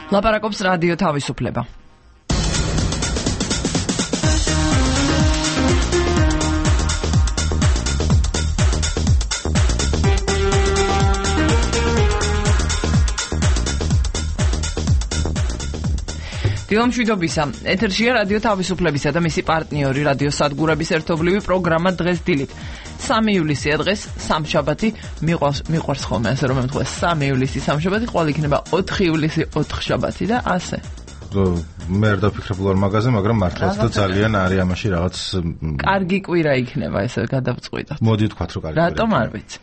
ლაპარაკობს რადიო თავისუფლება. დილამშვიდობისა. ეთერშია რადიო თავისუფლებისა და მისი პარტნიორი რადიო სადგურების ერთობლივი პროგრამა დღეს დილით. 3 ივლისია დღეს, სამშაბათი, მიყვარს ხოლმე ასე რომ ემთხვეს 3 ივლისი სამშაბათი, ყოველ იქნება 4 ივლისი 4 შაბათი და ასე. მე არ დაფიქრებ ლორ მაგაზე, მაგრამ მართლაც და ძალიან არის ამაში რაღაც კარგი კვირა იქნება ესე გადავწყვიტოთ. მოდი ვთქვათ რომ კარგი. რატომ არ ვიცი.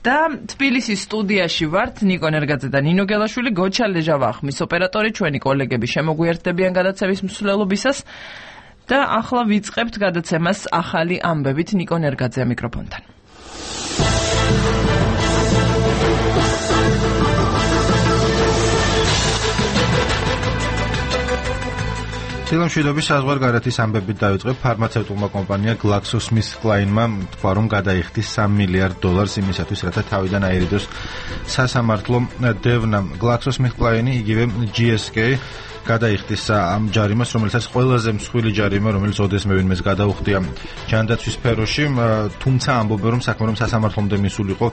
და თბილისის სტუდიაში ვართ ნიკო ნერგაძე და ნინო გელაშვილი, გოჩა ლეჟავახმის ოპერატორი, ჩვენი კოლეგები შემოგვიერთდებიან გადაცემის მსვლელობისას და ახლა ვიწყებთ გადაცემას ახალი ამბებით. ნიკო ნერგაძე მიკროფონთან. დილამშვიდობის საზღვარგარეთის ამბებით დავიწყებ. ფარმაცევტულმა კომპანია GlaxoSmithKline-მა თქვა, რომ გადაიხდის $3 მილიარდ იმისათვის, რათა თავიდან აერიდოს სასამართლო დევნამ. GlaxoSmithKline, იგივე GSK გადაიხდის ამ ჯარიმას, რომელსაც ყველაზე მსხვილი ჯარიმა, რომელიც ოდესმევინმეს გადაუხდია ჯანდაცვის სფეროში, თუმცა ამბობენ, რომ საქმე რომ სასამართლომდე მისულიყო,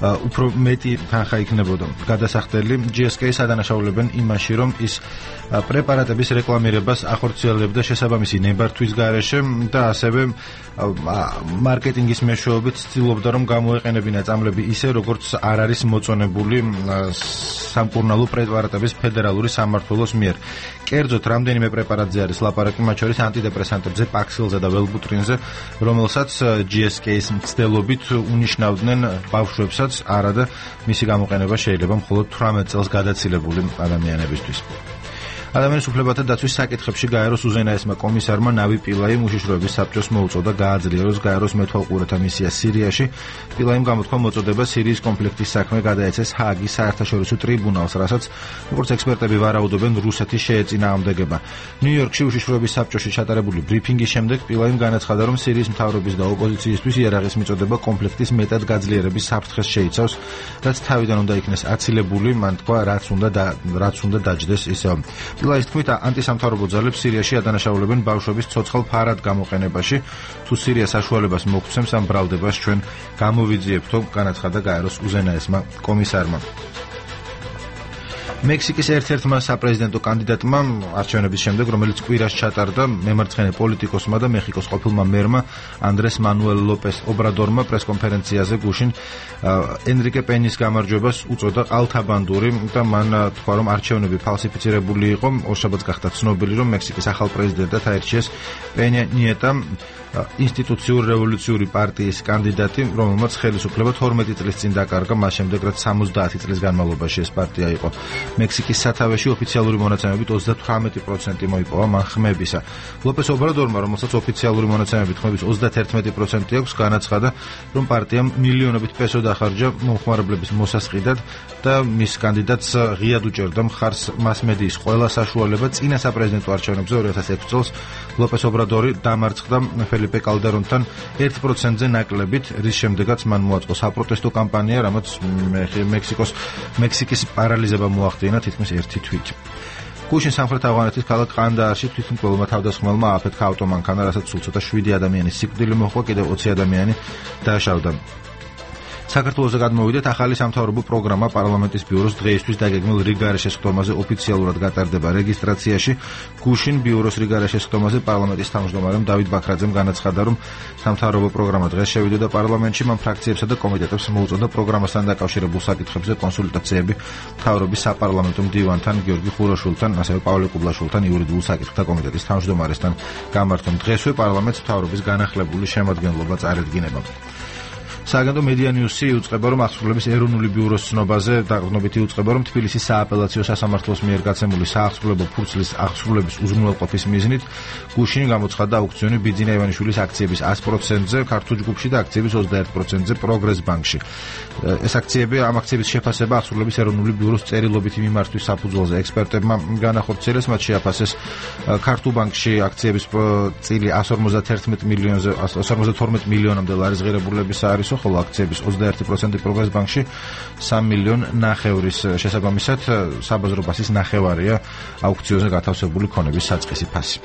უფრო მეტი თანხა იქნებოდა გადასახდელი. GSK-ს ადანაშაულებენ იმაში, რომ ის პრეპარატების რეკლამირებას ახორციელებდა შესაბამისი ნებართვის გარეშე და ასევე მარკეტინგის მეშვეობით ცდილობდა, რომ გამოეყენებინა წამლები ისე, როგორც არ არის მოწონებული სამკურნალო პრეპარატების ფედერალური სამმართველოს მიერ. კერძოდ, რამდენიმე პრეპარატზე არის ლაპარაკი, მათ შორის ანტიდეპრესანტებზე, პაქსილზე და ველბუტრინზე, რომელსაც GSK-ის მცდელობით უნიშნავდნენ ბავშვებსაც, არადა მისი გამოყენება შეიძლება მხოლოდ 18 წელს გადაცილებული ადამიანებისთვის. ადამიანის უფლებათა დაცვის საკითხებში გაეროს უზენაესმა კომისარმა ნავი პილაიმ უშიშროების საბჭოს მოუწოდა გააძლიეროს გაეროს მეთვალყურეთა მისია სირიაში. პილაიმ გამოთქვა მოწოდება სირიის კონფლიქტის საქმე გადაეცეს ჰააგის საერთაშორისო ტრიბუნალს, რასაც როგორც ექსპერტები ვარაუდობენ, რუსეთი შეეწინააღმდეგება. ნიუ-იორკში უშიშროების საბჭოში ჩატარებული ბრიფინგის შემდეგ პილაიმ განაცხადა, რომ სირიის მთავრობის და ოპოზიციისთვის იარაღის მიწოდება კონფლიქტის მეტად გაძლიერების საფრთხეს შეიცავს, რაც თავიდან უნდა იქნეს აცილებული, მან თქვა, რაც უნდა დაჯდეს ისევ. პილაის თქმით, ანტისამთავრობო ძალებს სირიაში ადანაშაულებენ ბავშვების ცოცხალ ფარად გამოყენებაში. თუ სირია საშუალებას მოგცემს ამ ბრალდებას, ჩვენ გამოვიძიებთო, განაცხადა გაეროს უზენაესმა კომისარმა. მექსიკის ერთ-ერთმა საპრეზიდენტო კანდიდატმა არჩევნების შემდეგ, რომელიც კვირას ჩატარდა, მემარცხენე პოლიტიკოსმა და მეხიკოს ყოფილმა მერმა ანდრეს მანუელ ლოპეს ობრადორმა პრესკონფერენციაზე გუშინ ენრიკე პენის გამარჯვებას უწოდა ყალთაბანდური და მან თქვა, რომ არჩევნები ფალსიფიცირებული იყო. ორშაბათს გახდა ცნობილი, რომ მექსიკის ახალ პრეზიდენტად აირჩიეს პენია ნიეტა, ინსტიტუციურ რევოლუციური პარტიის კანდიდატი, რომელმაც ხელისუფლება 12 წლის წინ დაკარგა, მას შემდეგ, რაც 70 წლის განმავლობაში ეს პარტია იყო. მექსიკის სათავეში ოფიციალური მონაცემებით 38% მოიპოვა მან ხმებისა. ლოპეს ობრადორმა, რომელსაც ოფიციალური მონაცემებით ხმების 31% აქვს, განაცხადა, რომ პარტიამ მილიონობით პესო დახარჯა მომხმარებლების მოსასყიდად და მის კანდიდატს ღიად უჭერდა მხარს მასმედიის ყველა საშუალება. წინა საპრეზიდენტო არჩევნებზე 2006 წელს ლოპეს ობრადორი დამარცხდა ფელიპე კალდერონთან 1%-ზე ნაკლებით, რის შემდეგაც მან მოაწყო საპროტესტო კამპანია, რამაც მექსიკის პარალიზება მოახდინა თითქმის 1 თვით. გუშინ სამხრეთ ავღანეთის ქალაქ ყანდაარში თვითმკვლელმა თავდასხმელმა ააფეთქა ავტომანქანა, რასაც სულ ცოტა 7 ადამიანის სიკვდილი მოჰყვა, კიდევ 20 ადამიანი დაშავდა. საქართველოს გადმოვიდეთ, ახალი სამთავრობო პროგრამა პარლამენტის ბიუროს დღეისთვის დაგეგმილ რიგარეშეს ხდომაზე ოფიციალურად გატარდება რეგისტრაციაში. გუშინ ბიუროს რიგარეშეს ხდომაზე პარლამენტის თავმჯდომარემ დავით ბაქრაძემ განაცხადა, რომ სამთავრობო პროგრამა დღეს შევიდოდა პარლამენტში, მან ფრაქციებსა და კომიტეტებს მოუწოდა პროგრამასთან დაკავშირებულ საკითხებზე კონსულტაციები მთავრობის საპარლამენტო მდივანთან გიორგი ხუროშვილთან, ასევე პავლე კუბლაშვილთან, იურიდიულ საკითხთა კომიტეტის თავმჯდომარესთან გამართონ. დღესვე პარლამენტს მთავრობის განახლებული შემადგენლობა წარედგინება. სააგენტო მედია ნიუსი იუწყება, რომ აღსრულების ეროვნული ბიუროს ცნობაზე დაყრდნობით იუწყება, რომ თბილისის სააპელაციო სასამართლოს მიერ გაცემული საახსრულებო ფურცლის აღსრულების უზრუნველყოფის მიზნით გუშინ გამოცხადდა აუქციონი ბიძინა ივანიშვილის აქციების 100%-ზე ქართულ ჯგუფში და აქციების 21%-ზე პროგრეს ბანკში. ეს ამ აქციების შეფასება აღსრულების ეროვნული ბიუროს წერილობითი მიმართვის საფუძველზე ექსპერტებმა განახორციელეს, მათ შეაფასეს ქართულ ბანკში აქციების წილი 152 მილიონამდე ლარის ღირებულების საარისო, ხოლო აქციების 21% პროგრეს ბანკში 3,5 მილიონის შესაბამისად საბაზრო ბაზრის ნახევარია აუქციონზე გათავსებული ქონების საწყისი ფასი.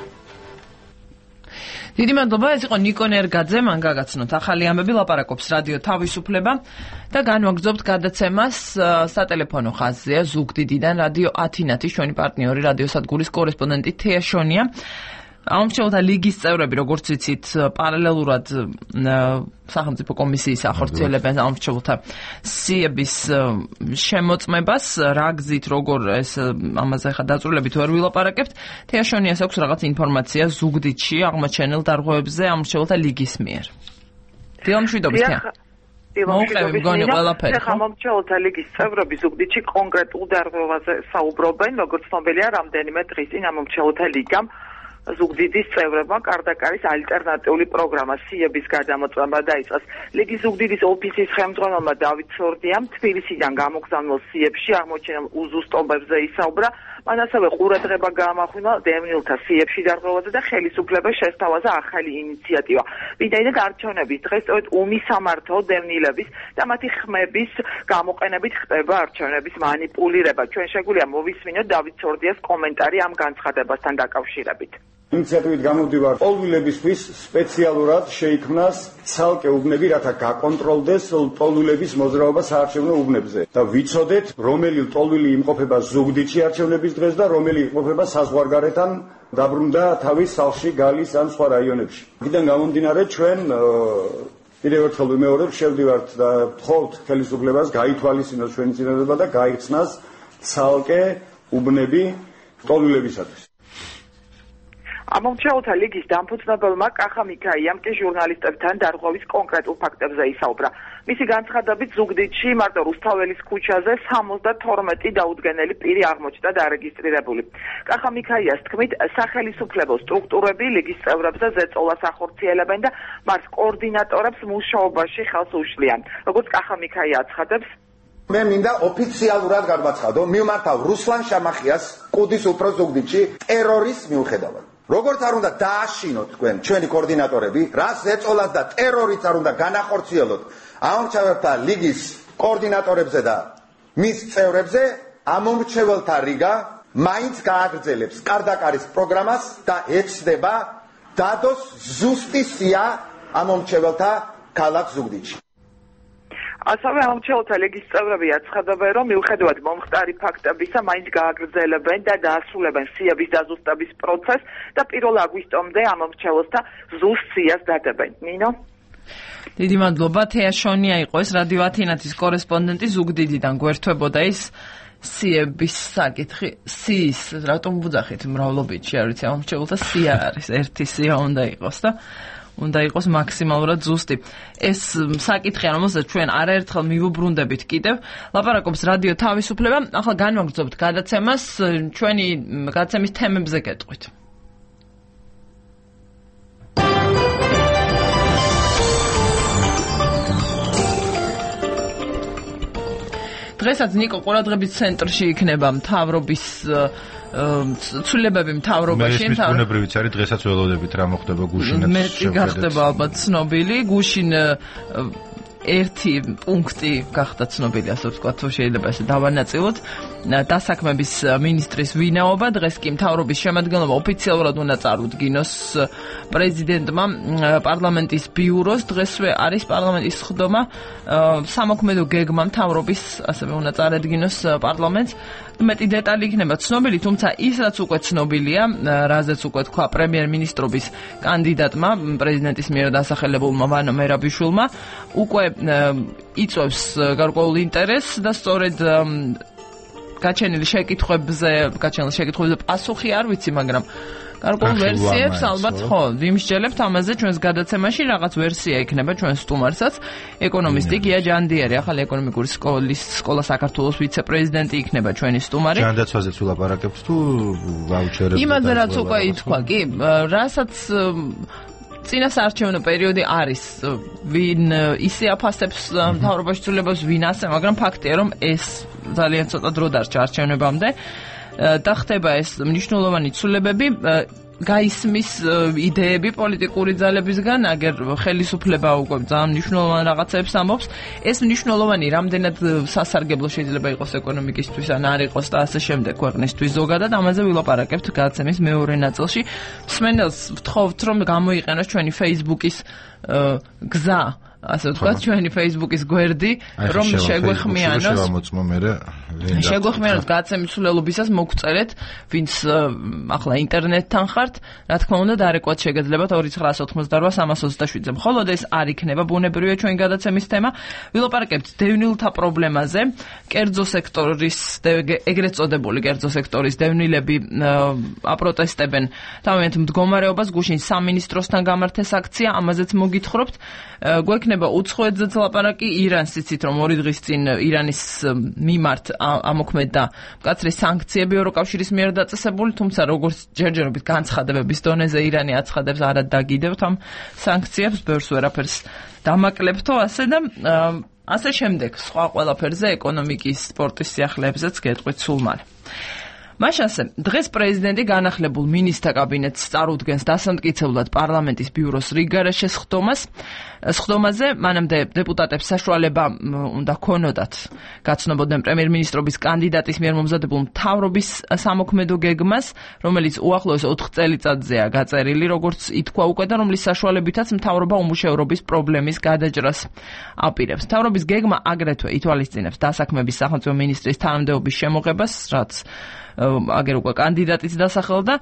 დიდი მადლობა, ეს იყო ნიკო ნერგაძე, მან გაგაცნოთ ახალი ამბები, ლაპარაკობს რადიო თავისუფლება და განვაგრძობთ გადაცემას სატელეფონო ხაზზეა ზუგდიდიდან რადიო ათინათის ჩვენი პარტნიორი რადიოსადგურის კორესპონდენტი თეა შონია. ამომრჩეველთა ლიგის წევრები, როგორც ვიცით, პარალელურად სახელმწიფო კომისიის ახორციელებენ ამომრჩეველთა სიების შემოწმებას, რა გზით, როგორ ეს ამაზე ხა დაწვრილებით ვერ ვილაპარაკებთ. თეა შონიას აქვს რაღაც ინფორმაცია ზუგდიდში აღმოჩენილ დარღვევებზე ამომრჩეველთა ლიგის მიერ. დილამშვიდობის თეა. დილამშვიდობის ამომრჩეველთა ლიგის წევრები ზუგდიდში კონკრეტულ დარღვევაზე საუბრობენ, როგორც ცნობილია, რამდენიმე დღის წინ ამომრჩეველთა ლიგამ ზუგდიდის წევრებმა კარდაკარის ალტერნატიული პროგრამა სიების გადამოწმება დაიწყეს. ლიგის ზუგდიდის ოფისის ხელმძღვანელმა დავით სორდიამ თბილისიდან გამოგზავნილ სიებში აღმოჩენილ უზუსტობებზე ისაუბრა. მან ასევე ყურადღება გაამახვილა დევნილთა სიებში დარღვევაზე და ხელისუფლებას შესთავაზა ახალი ინიციატივა. ვინაიდან არჩევნების დღეს სწორედ უმისამართო დევნილების და მათი ხმების გამოყენებით ხდება არჩევნების მანიპულირება. ჩვენ შეგვიძლია მოვისმინოთ დავით სორდიას კომენტარი ამ განცხადებასთან დაკავშირებით. ინიციატივით გამოვდივარ ტოლვილებისთვის სპეციალურად შეიქმნას ცალკე უბნები, რათა გაკონტროლდეს ტოლვილების მოძრაობა საარჩევნო უბნებზე და ვიცოდეთ, რომელი ტოლვილი იმყოფება ზუგდიდში არჩევნების დღეს და რომელი იმყოფება საზღვარგარეთთან დაბრუნდა თავის სახლში, გალის ან სხვა რაიონებში. აქედან გამომდინარე, ჩვენ კიდევ ერთხელ ვიმეორებ, შევდივართ და ვთხოვთ ხელისუფლებას გაითვალისწინოს ჩვენი წინადადება და გაიხსნას ცალკე უბნები ტოლვილებისათვის. ამომრჩეველთა ლიგის დამფუძნებელმა კახა მიქაიამ კი ჟურნალისტებთან დარღვევის კონკრეტულ ფაქტებზე ისაუბრა. მისი განცხადებით ზუგდიდში მარტო რუსთაველის ქუჩაზე 72 დაუდგენელი პირი აღმოჩნდა დარეგისტრირებული. კახა მიქაიას თქმით, სახელისუფლებო სტრუქტურები ლიგის წევრებზე ზეწოლას ახორციელებენ და მას კოორდინატორებს მუშაობაში ხელს უშლიან. როგორც კახა მიქაია აცხადებს, მე მინდა ოფიციალურად გადმაცხადო, მივმართავ რუსლან შამახიას კუდის უფრო ზუგდიდში ტერორის მიუხედავად. როგორც არ უნდა დააშინოთ თქვენ ჩვენი კოორდინატორები, რას ზეწოლას და ტერორიც არ უნდა განახორციელოთ ამომრჩეველთა ლიგის კოორდინატორებზე და მის წევრებზე, ამომრჩეველთა რიგა მაინც გააგრძელებს კარდაკარის პროგრამას და ეცდება დადოს ზუსტი სია ამომრჩეველთა ქალაქ ზუგდიდში. ასევე ამომრჩეველთა ლიგის წევრები აცხადებენ, რომ მიუხედავად მომხდარი ფაქტებისა, მაინც გააგრძელებენ და დაასრულებენ სიების დაზუსტების პროცესს და 1 აგვისტომდე ამომრჩეველთა ზუსტ სიას დადებენ. ნინო? დიდი მადლობა, თეა შონია იყო ეს რადიო ათინათის კორესპონდენტი ზუგდიდიდან გვერდებოდა ის სიების საკითხი. სიის რატომ ვუძახით მრავლობითში, არ ვიცი, ამომრჩეველთა სია არის, ერთი სია უნდა იყოს და უნდა იყოს მაქსიმალურად ზუსტი. ეს საკითხია, რომელსაც ჩვენ არაერთხელ მივუბრუნდებით კიდევ. ლაპარაკობს რადიო თავისუფლება. ახლა განვაგრძობთ გადაცემას, ჩვენი გადაცემის თემებზე გეტყვით. დღესაც ნიკო ყურადღების ცენტრში იქნება მთავრობის ცვლილებები მთავრობაში. მე მისგუნებრივიც არის, დღესაც ველოდებით რა მოხდება გუშინაც. მეტი გახდება ალბათ ცნობილი. გუშინ ერთი პუნქტი გახდა ცნობილი, ასე ვთქვათ, თუ შეიძლება ესე დავანაწილოთ. დასაქმების მინისტრის ვინაობა, დღეს კი მთავრობის შემადგენლობა ოფიციალურად უნდა წარუდგინოს პრეზიდენტმა პარლამენტის ბიუროს. დღესვე არის პარლამენტის ხდომა, სამოქმედო გეგმა მთავრობის ასევე უნდა წარედგინოს პარლამენტს. მეტი დეტალი იქნება ცნობილი, თუმცა ისაც უკვე ცნობილია, რაზეც უკვე თქვა პრემიერ-მინისტრობის კანდიდატმა, პრეზიდენტის მიერ დასახელებულმა ვანო მერაბიშვილმა, უკვე იწვევს გარკვეულ ინტერესს და სწორედ გაჩენილ შეკითხვებზე პასუხი არ ვიცი, მაგრამ გარკვეულ ვერსიებს ალბათ ხო ვიმსჯელებთ ამაზე ჩვენს გადაცემაში. რაღაც ვერსია იქნება ჩვენ სტუმარსაც, ეკონომისტი გია ჯანდიერი, ახალი ეკონომიკური სკოლა საქართველოს ვიცე-პრეზიდენტი იქნება ჩვენი სტუმარი. ჯანდაცვაზეც ვილაპარაკებთ თუ ვაუჩერებზე? იმაზე რაც უკვე ითქვა, კი, რასაც წინასაარჩევნო პერიოდი არის, ვინ ისე აფასებს მთავრობაში ცვლილებას, ვინ ასე, მაგრამ ფაქტია, რომ ეს ძალიან ცოტა დრო დარჩა არჩევნებამდე და ხდება ეს მნიშვნელოვანი ცვლილებები. გაისმის იდეები პოლიტიკური ძალებისგან, აგერ ხელისუფლება უკვე ძალიან მნიშვნელოვან რაღაცებს ამბობს. ეს მნიშვნელოვანი რამდენად სასარგებლო შეიძლება იყოს ეკონომიკისთვის ან არ იყოს და ასე შემდეგ ქვეყნისთვის ზოგადად, ამაზე ვილაპარაკებთ გადაცემის მეორე ნაწილში. მსმენელს ვთხოვთ, რომ გამოიყენოს ჩვენი Facebook-ის გზა, ასე ვთქვათ, ჩვენი Facebook-ის გვერდი, რომ შეგვეხმიანოს გადაცემის სულელობისას მოგწერეთ, ვინც ახლა ინტერნეტთან ხართ, რა თქმა უნდა, დარეკვათ შეგეძლებათ 2988-327-ზე. მხოლოდ ეს არ იქნება ბუნებრივია ჩვენი გადაცემის თემა. ვილაპარაკებთ დევნილთა პრობლემაზე, კერძო სექტორის, ეგრეთ წოდებული კერძო სექტორის დევნილები აპროტესტებენ თავიანთ მდგომარეობას, გუშინ სამინისტროსთან გამართეს აქცია, ამაზეც მოგითხრობთ. გვექნება უცხოეთზეც ლაპარაკი, ირანს იცით, რომ 2 დღის წინ ირანის მიმართ ამოქმედა მკაცრი სანქციები ევროკავშირის მიერ დაწესებული, თუმცა როგორც ჯერჯერობით განცხადებების დონეზე ირანი აცხადებს არა დაგიდევთ ამ სანქციებს, ბევრს ვერაფერს დამაკლებთო, ასე და ასე შემდეგ, სხვა ყველაფერზე ეკონომიკის, სპორტის სიახლეებზეც გეტყვით სულ მალე. მაშასე, დღეს პრეზიდენტი განახლებულ მინისტრთა კაბინეტს წარუდგენს დასამტკიცებლად პარლამენტის ბიუროს რიგგარეშე სხდომაზე, მანამდე დეპუტატებს საშუალება უნდა ქონოდათ გაცნობოდნენ პრემიერ-მინისტრობის კანდიდატის მიერ მომზადებულ მთავრობის სამოქმედო გეგმას, რომელიც უახლოეს 4 წელიწადზეა გაწერილი, როგორც ითქვა უკვე და რომლის საშუალებითაც მთავრობა უმუშევრობის პრობლემის გადაჭრას აპირებს. მთავრობის გეგმა აგრეთვე ითვალისწინებს დასაქმების სახელმწიფო მინისტრის თანამდებობის შემოღებას, რაც აგერ უკვე კანდიდატიც დასახელდა,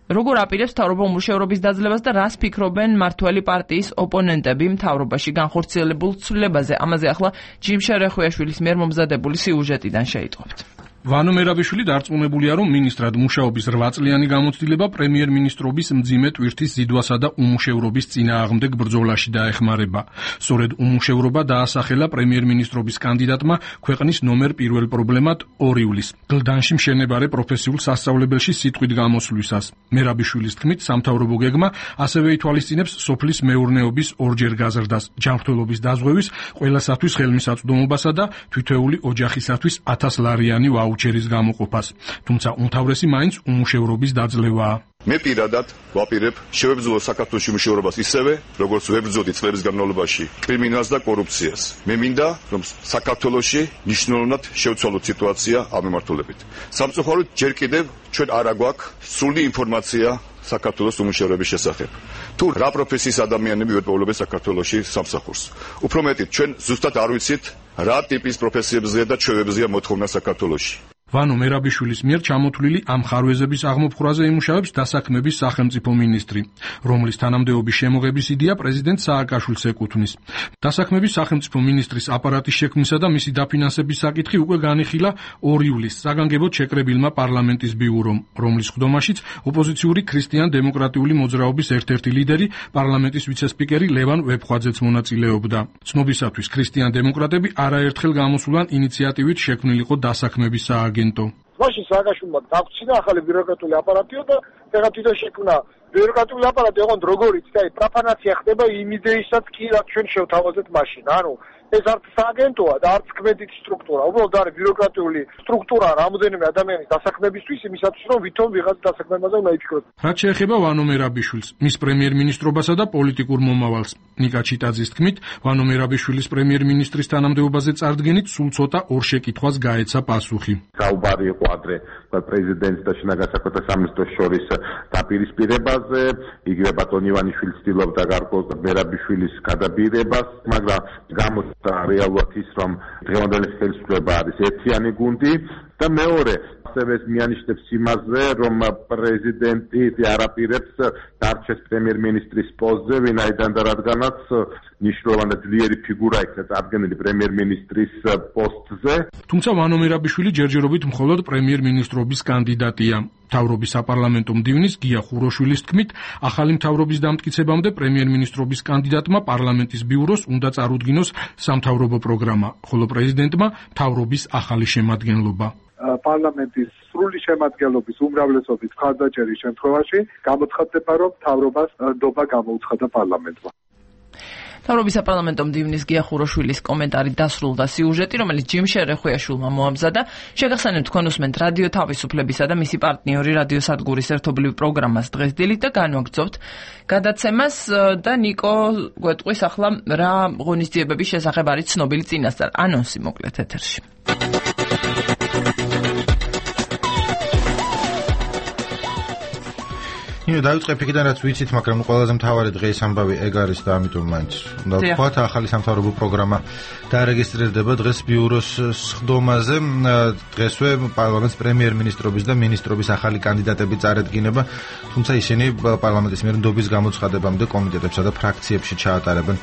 როგორ აპირებს მთავრობა უმუშევრობის დაძლებას და რას ფიქრობენ მმართველი პარტიის ოპონენტები მთავრობაში განხორციელებულ ცვლილებაზე. ამაზე ახლა ჯიმ შერეხვიაშვილის მიერ მომზადებული სიუჟეტიდან შეიტყობთ. ვანო მერაბიშვილი დარწმუნებულია, რომ მინისტრად მუშაობის 8 წლიანი გამოცდილება პრემიერ-მინისტრობის მძიმე ტვირთის ზიდვასა და უმუშევრობის წინააღმდეგ ბრძოლაში დაეხმარება. სწორედ უმუშევრობა დაასახელა პრემიერ-მინისტრობის კანდიდატმა ქვეყნის ნომერ 1 პრობლემად 2 ივლისს, გლდანში მშენებარე პროფესიულ სასწავლებელში სიტყვით გამოსვლისას. მერაბიშვილის თქმით, სამთავრობო გეგმა ასევე ითვალისწინებს სოფლის მეურნეობის ორჯერ გაზრდას, ჯანმრთელობის დაზღვევის, ყველასათვის ხელმისაწვდომობასა და თითოეული ოჯახისათვის 1000 ლარიანი ვაუჩერის გამოყოფას. თუმცა უმთავრესი მაინც უმუშევრობის დაძლევაა. მე პირადად ვაპირებ შევებრძოლო საქართველოს უმუშევრობას ისევე, როგორც ვებრძოდი წლების განმავლობაში კრიმინალს და კორუფციას. მე მინდა, რომ საქართველოში მნიშვნელოვნად შევცვალოთ სიტუაცია ამ მიმართულებით. სამწუხაროდ ჯერ კიდევ ჩვენ არ აგვაქვს სრული ინფორმაცია საქართველოს უმუშევრობის შესახებ. თუ რა პროფესიის ადამიანები ვეპოვლებენ საქართველოში სამსახურს. უფრო მეტით, ჩვენ ზუსტად არ ვიცით, რა ტიპის პროფესიებზეა და ჩვევებზეა მოთხოვნა საქართველოში. ვანო მერაბიშვილის მიერ ჩამოთვლილი ამ ხარვეზების აღმოფხვრაზე იმუშავებს დასაქმების სახელმწიფო მინისტრი, რომლის თანამდებობის შემოღების იდეა პრეზიდენტ სააკაშვილს ეკუთვნის. დასაქმების სახელმწიფო მინისტრის აპარატის შექმნისა და მისი დაფინანსების საკითხი უკვე განიხილა 2 ივლისს საგანგებოდ შეკრებილმა პარლამენტის ბიურომ, რომლის ხდომაშიც ოპოზიციური ქრისტიან-დემოკრატიული მოძრაობის ერთ-ერთი ლიდერი, პარლამენტის ვიცე-სპიკერი ლევან ვეფხვაძეც მონაწილეობდა. ცნობისათვის ქრისტიან-დემოკრატები არაერთხელ გამოსულან ინიციატივით შექმნილიყო დასაქმების სააგენტო. მაშინ სააკაშვილმა დაგვრჩინა ახალი ბიუროკრატიული აპარატიო და ეხლა თვითონ შექმნა ბიუროკრატიული აპარატი, ოღონდ როგორიც და პროფანაცია ხდება იმ იდეისაც კი რაც ჩვენ შევთავაზეთ მაშინ. ანუ ეს არც სააგენტოა და არც კმედითი სტრუქტურა, უბრალოდ არის ბიუროკრატიული სტრუქტურა რამოდენიმე ადამიანის დასაქმებისთვის, იმისათვის რომ ვითომ ვიღაც დასაქმებაზე უნდა იფიქროს. რაც შეეხება ვანო მერაბიშვილს, მის პრემიერ-მინისტრობასა და პოლიტიკურ მომავალს, ნიკა ჩიტაძის თქმით, ვანო მერაბიშვილის პრემიერ-მინისტრის თანამდებობაზე წარდგენით სულ ცოტა 2 შეკითხვას გაეცა პასუხი. საუბარი იყო ადრე პრეზიდენტს და შინაგან საქმეთა სამინისტროს შორის დაპირისპირებაზე, იგივე ბატონ ივანიშვილი ცდილობდა გარკვეულ მერაბიშვილის გადაბირებას, მაგრამ გამოჩნდა რეალურად ის, რომ დღევანდელი ხელისუფლება არის ერთიანი გუნდი და მეორე ასევე მიანიშნებს იმაზე, რომ პრეზიდენტი არაპირებს დარჩეს პრემიერ-მინისტრის პოსტზე, ვინაიდან და რადგანაც მნიშვნელოვანი ძლიერი ფიგურა იქნა წარდგენილი პრემიერ-მინისტრის პოსტზე. თუმცა ვანო მერაბიშვილი ჯერჯერობით მხოლოდ პრემიერ-მინისტრობის კანდიდატია. მთავრობის საპარლამენტო მდივნის გია ხუროშვილის თქმით, ახალი მთავრობის დამტკიცებამდე პრემიერ-მინისტრობის კანდიდატმა პარლამენტის ბიუროს უნდა წარუდგინოს სამთავრობო პროგრამა, ხოლო პრეზიდენტმა მთავრობის ახალი შემადგენლობა. პარლამენტის სრული შემადგენლობის უმრავლესობის მხარდაჭერის შემთხვევაში გამოცხადდება, რომ მთავრობას ნდობა გამოუცხადა პარლამენტმა. მთავრობის საპარლამენტო მდივნის გიახუროშვილის კომენტარი დასრულდა სიუჟეტი, რომელიც ჯიმშერ რეხვიაშვილმა მოამზადა. შეგახსენებთ, თქვენ უსმენთ რადიო თავისუფლებისა და მისი პარტნიორი რადიო სადგურის ერთობლივ პროგრამას დღეს დილით და განვაგრძობთ გადაცემას და ნიკო გვეტყვის ახლა რა ღონისძიებების შესახებ არის ცნობილი წინასწარ. ანონსი მოკლედ ეთერში. დავიწყებ იქიდან რაც ვიცით, მაგრამ ყველაზე მთავარი დღეს ამბავი ეგ არის და ამიტომ მაინც უნდა ვთქვათ, ახალი სამთავრობო პროგრამა დაარეგისტრირდება დღეს ბიუროს სხდომაზე. დღესვე პარლამენტს პრემიერ-მინისტრობის და მინისტრობის ახალი კანდიდატები წარედგინება, თუმცა ისინი პარლამენტის მიერ ნდობის გამოცხადებამდე კომიტეტებსა და ფრაქციებში ჩაატარებენ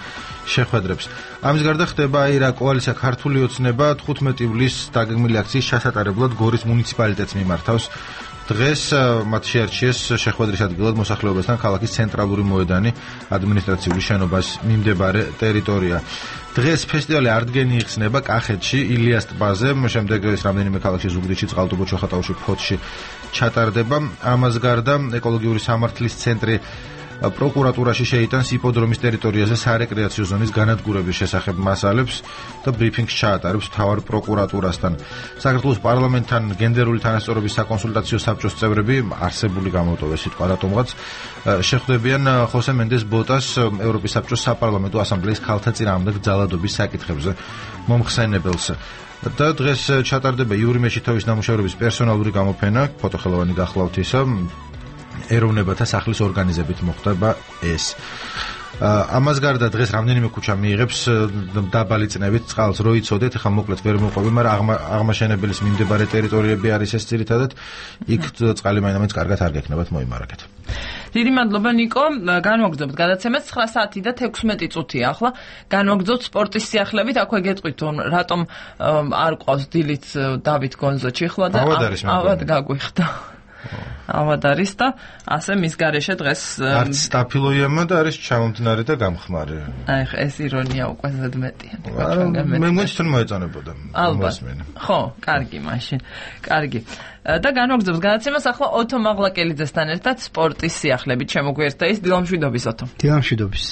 შეხვედრებს. ამის გარდა ხდება რა კოალიცია ქართული ოცნება 15 ივლისს დაგეგმილი აქციის ჩასატარებლად გორის მუნიციპალიტეტს მიმართავს. დღეს მათ შეარჩიეს შეხვედრის ადგილად მოსახლეობასთან ქალაქის ცენტრალური მოედანი, ადმინისტრაციული შენობას მიმდებარე ტერიტორია. დღეს ფესტივალი ართგენი იხსნება კახეთში, ილიას ტბაზე, შემდეგ ეს რამდენიმე ქალაქში, ზუგდიდში, წყალტუბო, ჩოხატაუში, ფოთში ჩატარდება. ამას გარდა ეკოლოგიური სამართლის ცენტრი პროკურატურაში შეიტანს იპოდრომის ტერიტორიაზე სარეკრეაციო ზონის განადგურების შესახებ მასალებს და ბრიფინგს ჩაატარებს მთავარ პროკურატურასთან. საქართველოს პარლამენტთან გენდერული თანასწორობის საკონსულტაციო საბჭოს წევრები, არსებული გამოტოვეს სიტყვა რატომღაც, შეხვდებიან ხოსე მენდეს ბოტას, ევროპის საბჭოს საპარლამენტო ასამბლეის ქალთა წინააღმდეგ ძალადობის საკითხებზე მომხსენებელს. და დღეს ჩატარდება იური მეჩითოვის ნამუშევრების პერსონალური გამოფენა, ფოტოხელოვანი გახლავთ ისა, ეროვნებათა სახლის ორგანიზებით მოხდება ეს. ამას გარდა დღეს რამდენიმე ქუჩა მიიღებს დაბალი წნევით წყალს, რო იცოდეთ, ხა მოკლედ ვერ მოყვები, მაგრამ აღმაშენებელის მიმდებარე ტერიტორიები არის ეს ძირითადად, იქ წყალი მაინც კარგად არ გექნებათ მოიმარაგეთ. დიდი მადლობა ნიკო, განვაგრძობთ გადაცემას 9 საათი და 16 წუთია. ახლა განვაგრძობთ სპორტის სიახლებით, აქვე გეტყვით რატომ არ ყავს დილით დავით გონზო ჩიხლა და ავად გაგვიხდა. ავად არის და ასე მის გარეშე დღეს არც სტაფილოიამა და არის ჩამომთნარი და გამხმარი. აი ეს ირონია უკვე ზედმეტია. მე მგონი მოეწონებოდა. ალბათ. ხო, კარგი მაშინ. კარგი. და განვაგრძობთ გადაცემას ახლა ოთო მაღლაკელიძესთან ერთად სპორტის სიახლებით შემოგვიერთდა ის დილამშვიდობის ოთო. დილამშვიდობის.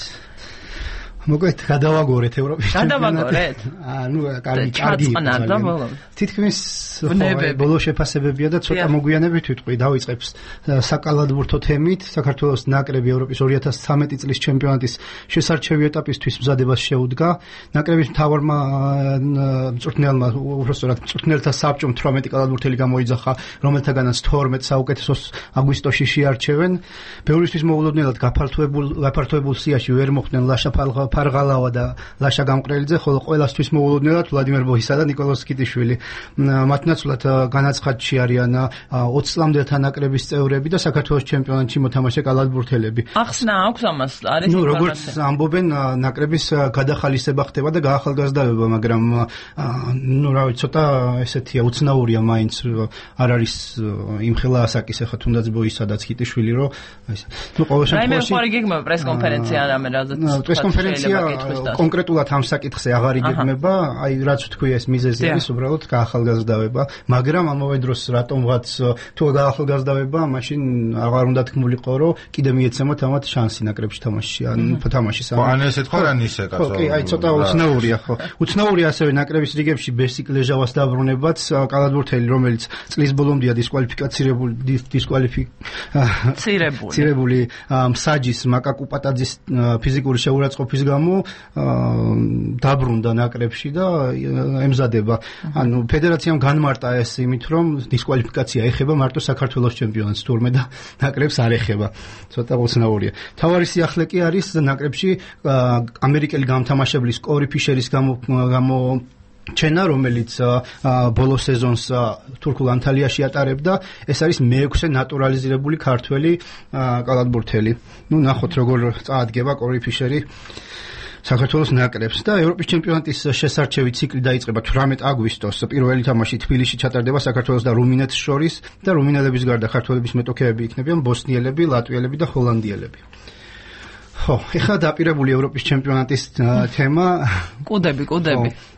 მოკლედ გადავაგორეთ ევროპის ჩემპიონატით. ნუ კარგი. თითქმის ბოლო შეფასებებია და ცოტა მოგვიანებით ვიტყვი, დავიწყებს საკალათბურთო თემით. საქართველოს ნაკრები ევროპის 2013 წლის ჩემპიონატის შესარჩევი ეტაპისთვის მზადებას შეუდგა. ნაკრების მთავარმა მწვრთნელმა, უბრალოდ მწვრთნელთა საბჭომ 18 კალათბურთელი გამოიძახა, რომელთაგანაც 12 საუკეთესოს აგვისტოში შეარჩევენ. ბევრისთვის მოულოდნელად გაფართოებულ სიაში ვერ მოხვდნენ ლაშა ფარღალავა და ლაშა გამყრელიძე, ხოლო ყველასთვის მოულოდნელად ვლადიმერ ბოისა და ნიკოლოზ კიტიშვილი. მათნაცვლად განაცხადში არიან 20 წლამდელთა ნაკრების წევრები და საქართველოს ჩემპიონატში მოთამაშე კალათბურთელები. ახსნა აქვს ამას, არის ნუ როგორც ამბობენ, ნაკრების გადახალისება ხდება და გაახალგაზრდავება, მაგრამ ნუ რა ვიცი, ცოტა ესეთია, უცნაურია მაინც, არ არის იმხელა ასაკის ახლა თუნდაც ბოისადაც კიტიშვილი, რომ ეს ნუ ყოველ შემთხვევაში რაიმე გეგმება პრესკონფერენცია რამე პრესკონფერენცია კონკრეტულად ამ საკითხზე აღარ იგეგმება, აი რაც ვთქვი ეს მიზეზი არის უბრალოდ გაახალგაზრდავება, მაგრამ ამავე დროს რატომღაც თუ გაახალგაზრდავება, მაშინ აღარ უნდა თქმულიყო, რომ კიდე მიეცემოთ ამათ შანსი ნაკრებში თამაშში, ან თამაშის. ან ესეთ ხო ან ისე კაცო. კი, აი ცოტა უცნაურია ხო. უცნაურია ასევე ნაკრების რიგებში ბესიკ ლეჟავას დაბრუნებაც, კალათბურთელი, რომელიც წლის ბოლომდე დისკვალიფიცირებული მსაჯის მაკაკუ პატაძის ფიზიკური შეურაცხყოფის გამო დაბრუნდა ნაკრებში და ემზადება. ანუ ფედერაციამ განმარტა ეს იმით, რომ დისკვალიფიკაცია ეხება მარტო საქართველოს ჩემპიონატს, თურმე და ნაკრებს არ ეხება. ცოტა უცნაურია. თავარი სიახლე კი არის ნაკრებში ამერიკელი გამთამაშებლის კორი ფიშერის ჩენა, რომელიც ბოლო სეზონს თურქულ ანტალიაში ატარებდა, ეს არის მეექვსე ნატურალიზირებული ქართველი კალათბურთელი. ნუ ნახოთ როგორ წაადგება კორი ფიშერი საქართველოს ნაკრებს და ევროპის ჩემპიონატის შესარჩევი ციკლი დაიწყება 18 აგვისტოს. პირველი თამაში თბილისში ჩატარდება საქართველოს და რუმინეთს შორის და რუმინელების გარდა ქართველების მეტოქეები იქნებიან ბოსნიელები, ლატვიელები და ჰოლანდიელები. ხო, ეხლა დაპირებული ევროპის ჩემპიონატის თემა. კუდები.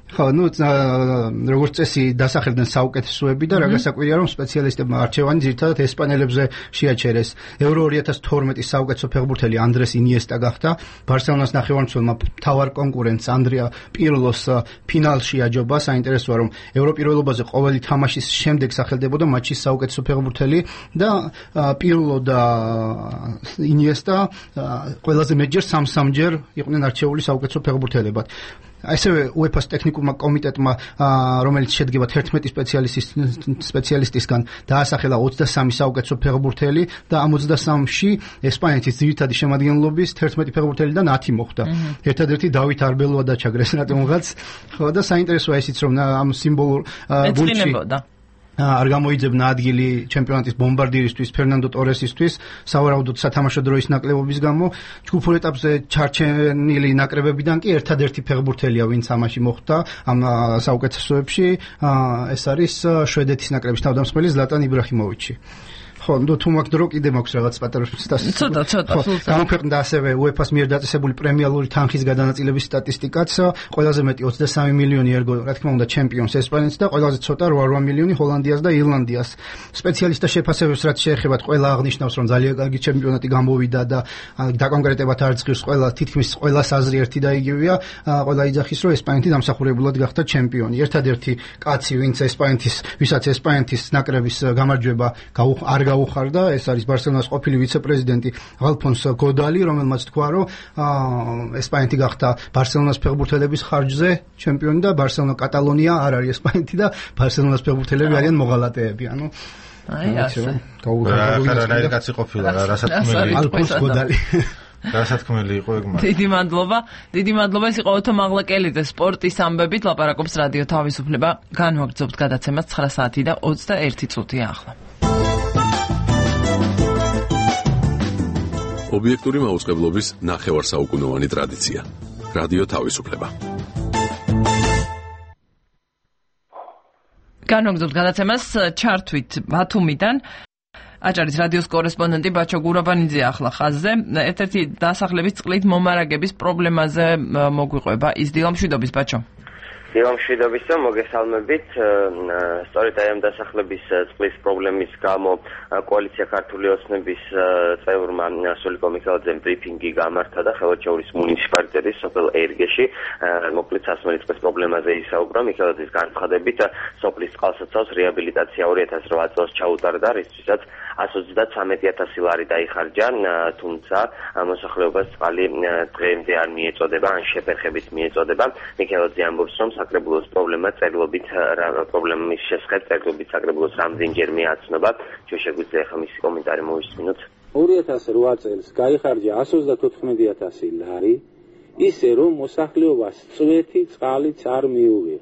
ხო, როგორც წესი დასახელდნენ საუკეთესოები და რა გასაკვირია რომ სპეციალისტებმა არჩევანი ძირითადად ესპანელებზე შეაჩერეს. Euro 2012-ის საუკეთესო ფეხბურთელი ანდრეს ინიესტა გახდა. ბარსელონას ნახევარმცველმა მთავარ კონკურენტს ანდრია პირლოს ფინალში აჯობა. საინტერესოა რომ ევროპირველობაზე ყოველი თამაშის შემდეგ სახელდებოდა მატჩის საუკეთესო ფეხბურთელი და პირლო და ინიესტა ყველაზე მეტჯერ 3-3-ჯერ იყვნენ არჩეული საუკეთესო ფეხბურთელებად. ასევე UEFA-ს ტექნიკურმა კომიტეტმა, რომელიც შედგება 11 სპეციალისტისგან, დაასახელა 23 საუკეთესო ფეხბურთელი და ამ 23-ში ესპანეთის ძირითადი შემადგენლობის 11 ფეხბურთელიდან 10 მოხვდა. ერთადერთი დავით არბელოა დაჩაგრეს რატომღაც. ხო და საინტერესოა ისიც რომ ამ სიმბოლურ გულში არ გამოიძებნა ადგილი ჩემპიონატის ბომბარდირისთვის ფერნანდო ტორესისთვის სავარაუდოდ სათამაშო დროის ნაკლებობის გამო. ჯგუფურ ეტაპზე ჩარჩენილი ნაკრებებიდან კი ერთადერთი ფეხბურთელია ვინც ამაში მოხვდა ამ საუკეთესოებში. ეს არის შვედეთის ნაკრების თავდამსხმელი ზლატან იბრაჰიმოვიჩი. ხო, თუ მაგ დრო კიდე მაქვს რაღაც პატარა ცოტა გამოქვეყნდა ასევე UEFA-ს მიერ დაწესებული პრემიალური თანხის გადანაწილების სტატისტიკაც. ყველაზე მეტი 23 მილიონი ერგო, რა თქმა უნდა, ჩემპიონს ესპანეთს და ყველაზე ცოტა 8 მილიონი ჰოლანდიას და ირლანდიას. სპეციალისტთა შეფასებებს რაც შეეხება, ყველა აღნიშნავს, რომ ძალიან კარგი ჩემპიონატი გამოვიდა და დაკონკრეტებად არ ძლივს ყველა, თითქმის ყველას აზრი ერთი და იგივეა. ყველა იძახის, რომ ესპანეთი დამსახურებულად გახდა ჩემპიონი. ერთადერთი კაცი, ვისაც ესპანეთის ნაკრების გამარჯვება არ გაუხარდა, ეს არის ბარსელონას ყოფილი ვიცე-პრეზიდენტი ალფონს გოდალი, რომელმაც თქვა, რომ ესპანეთი გახდა ბარსელონას ფეხბურთელების ხარჯზე ჩემპიონი და ბარსელონა კატალონია არ არის ესპანეთი და ბარსელონას ფეხბურთელები არიან მოღალატეები. ანუ აი ასე. რა კაცი ყოფილა, რასათქმელი ალფონს გოდალი. რასათქმელი იყო ეგ მაგრამ. დიდი მადლობა, ეს იყო ოთო მაღლაკელიძე სპორტის ამბებით ლაპარაკობს რადიო თავისუფლება. განვაგრძობთ გადაცემას 9 საათი და 21 წუთია ახლა. ობიექტური მაუწყებლობის ნახევარსაუკუნოვანი ტრადიცია. რადიო თავისუფლება. განვაგრძობთ გადაცემას ჩართვით ბათუმიდან. აჭარის რადიოს კორესპონდენტი ბაჩო გურაბანიძე ახლა ხაზზე. ერთ-ერთი დასახლების წყლით მომარაგების პრობლემაზე მოგვიყვება ის დილამშვიდობის ბაჩო. დილამშვიდობისა, მოგესალმებით. სწორედ აი ამ დასახლების წყლის პრობლემის გამო კოალიცია ქართული ოცნების წევრმა სულიკო მიქელაძემ ბრიფინგი გამართა და ხელოჩეურის მუნიციპალიტეტის სოფელ ერგეში მოკლედ სასმელი წყლის პრობლემაზე ისაუბრა. მიქელაძის განცხადებით, სოფლის წყალსაცავს რეაბილიტაცია 2008 წელს ჩაუტარდა, რისთვისაც 133,000 ლარი დაიხარჯა, თუმცა მოსახლეობას წყალი დღემდე არ მიეწოდება, ან შეფერხებით მიეწოდება. მიქელაძე ამბობს, რომ საკრებულოს პრობლემა პრობლემის შესახებ წერილობით საკრებულოს რამდენჯერ მიაცნობა. ჩვენ შეგვიძლია ახლა მისი კომენტარი მოვისმინოთ. 2008 წელს გაიხარჯა 194,000 ლარი, ისე რომ მოსახლეობას წვეთი წყალიც არ მიუღია.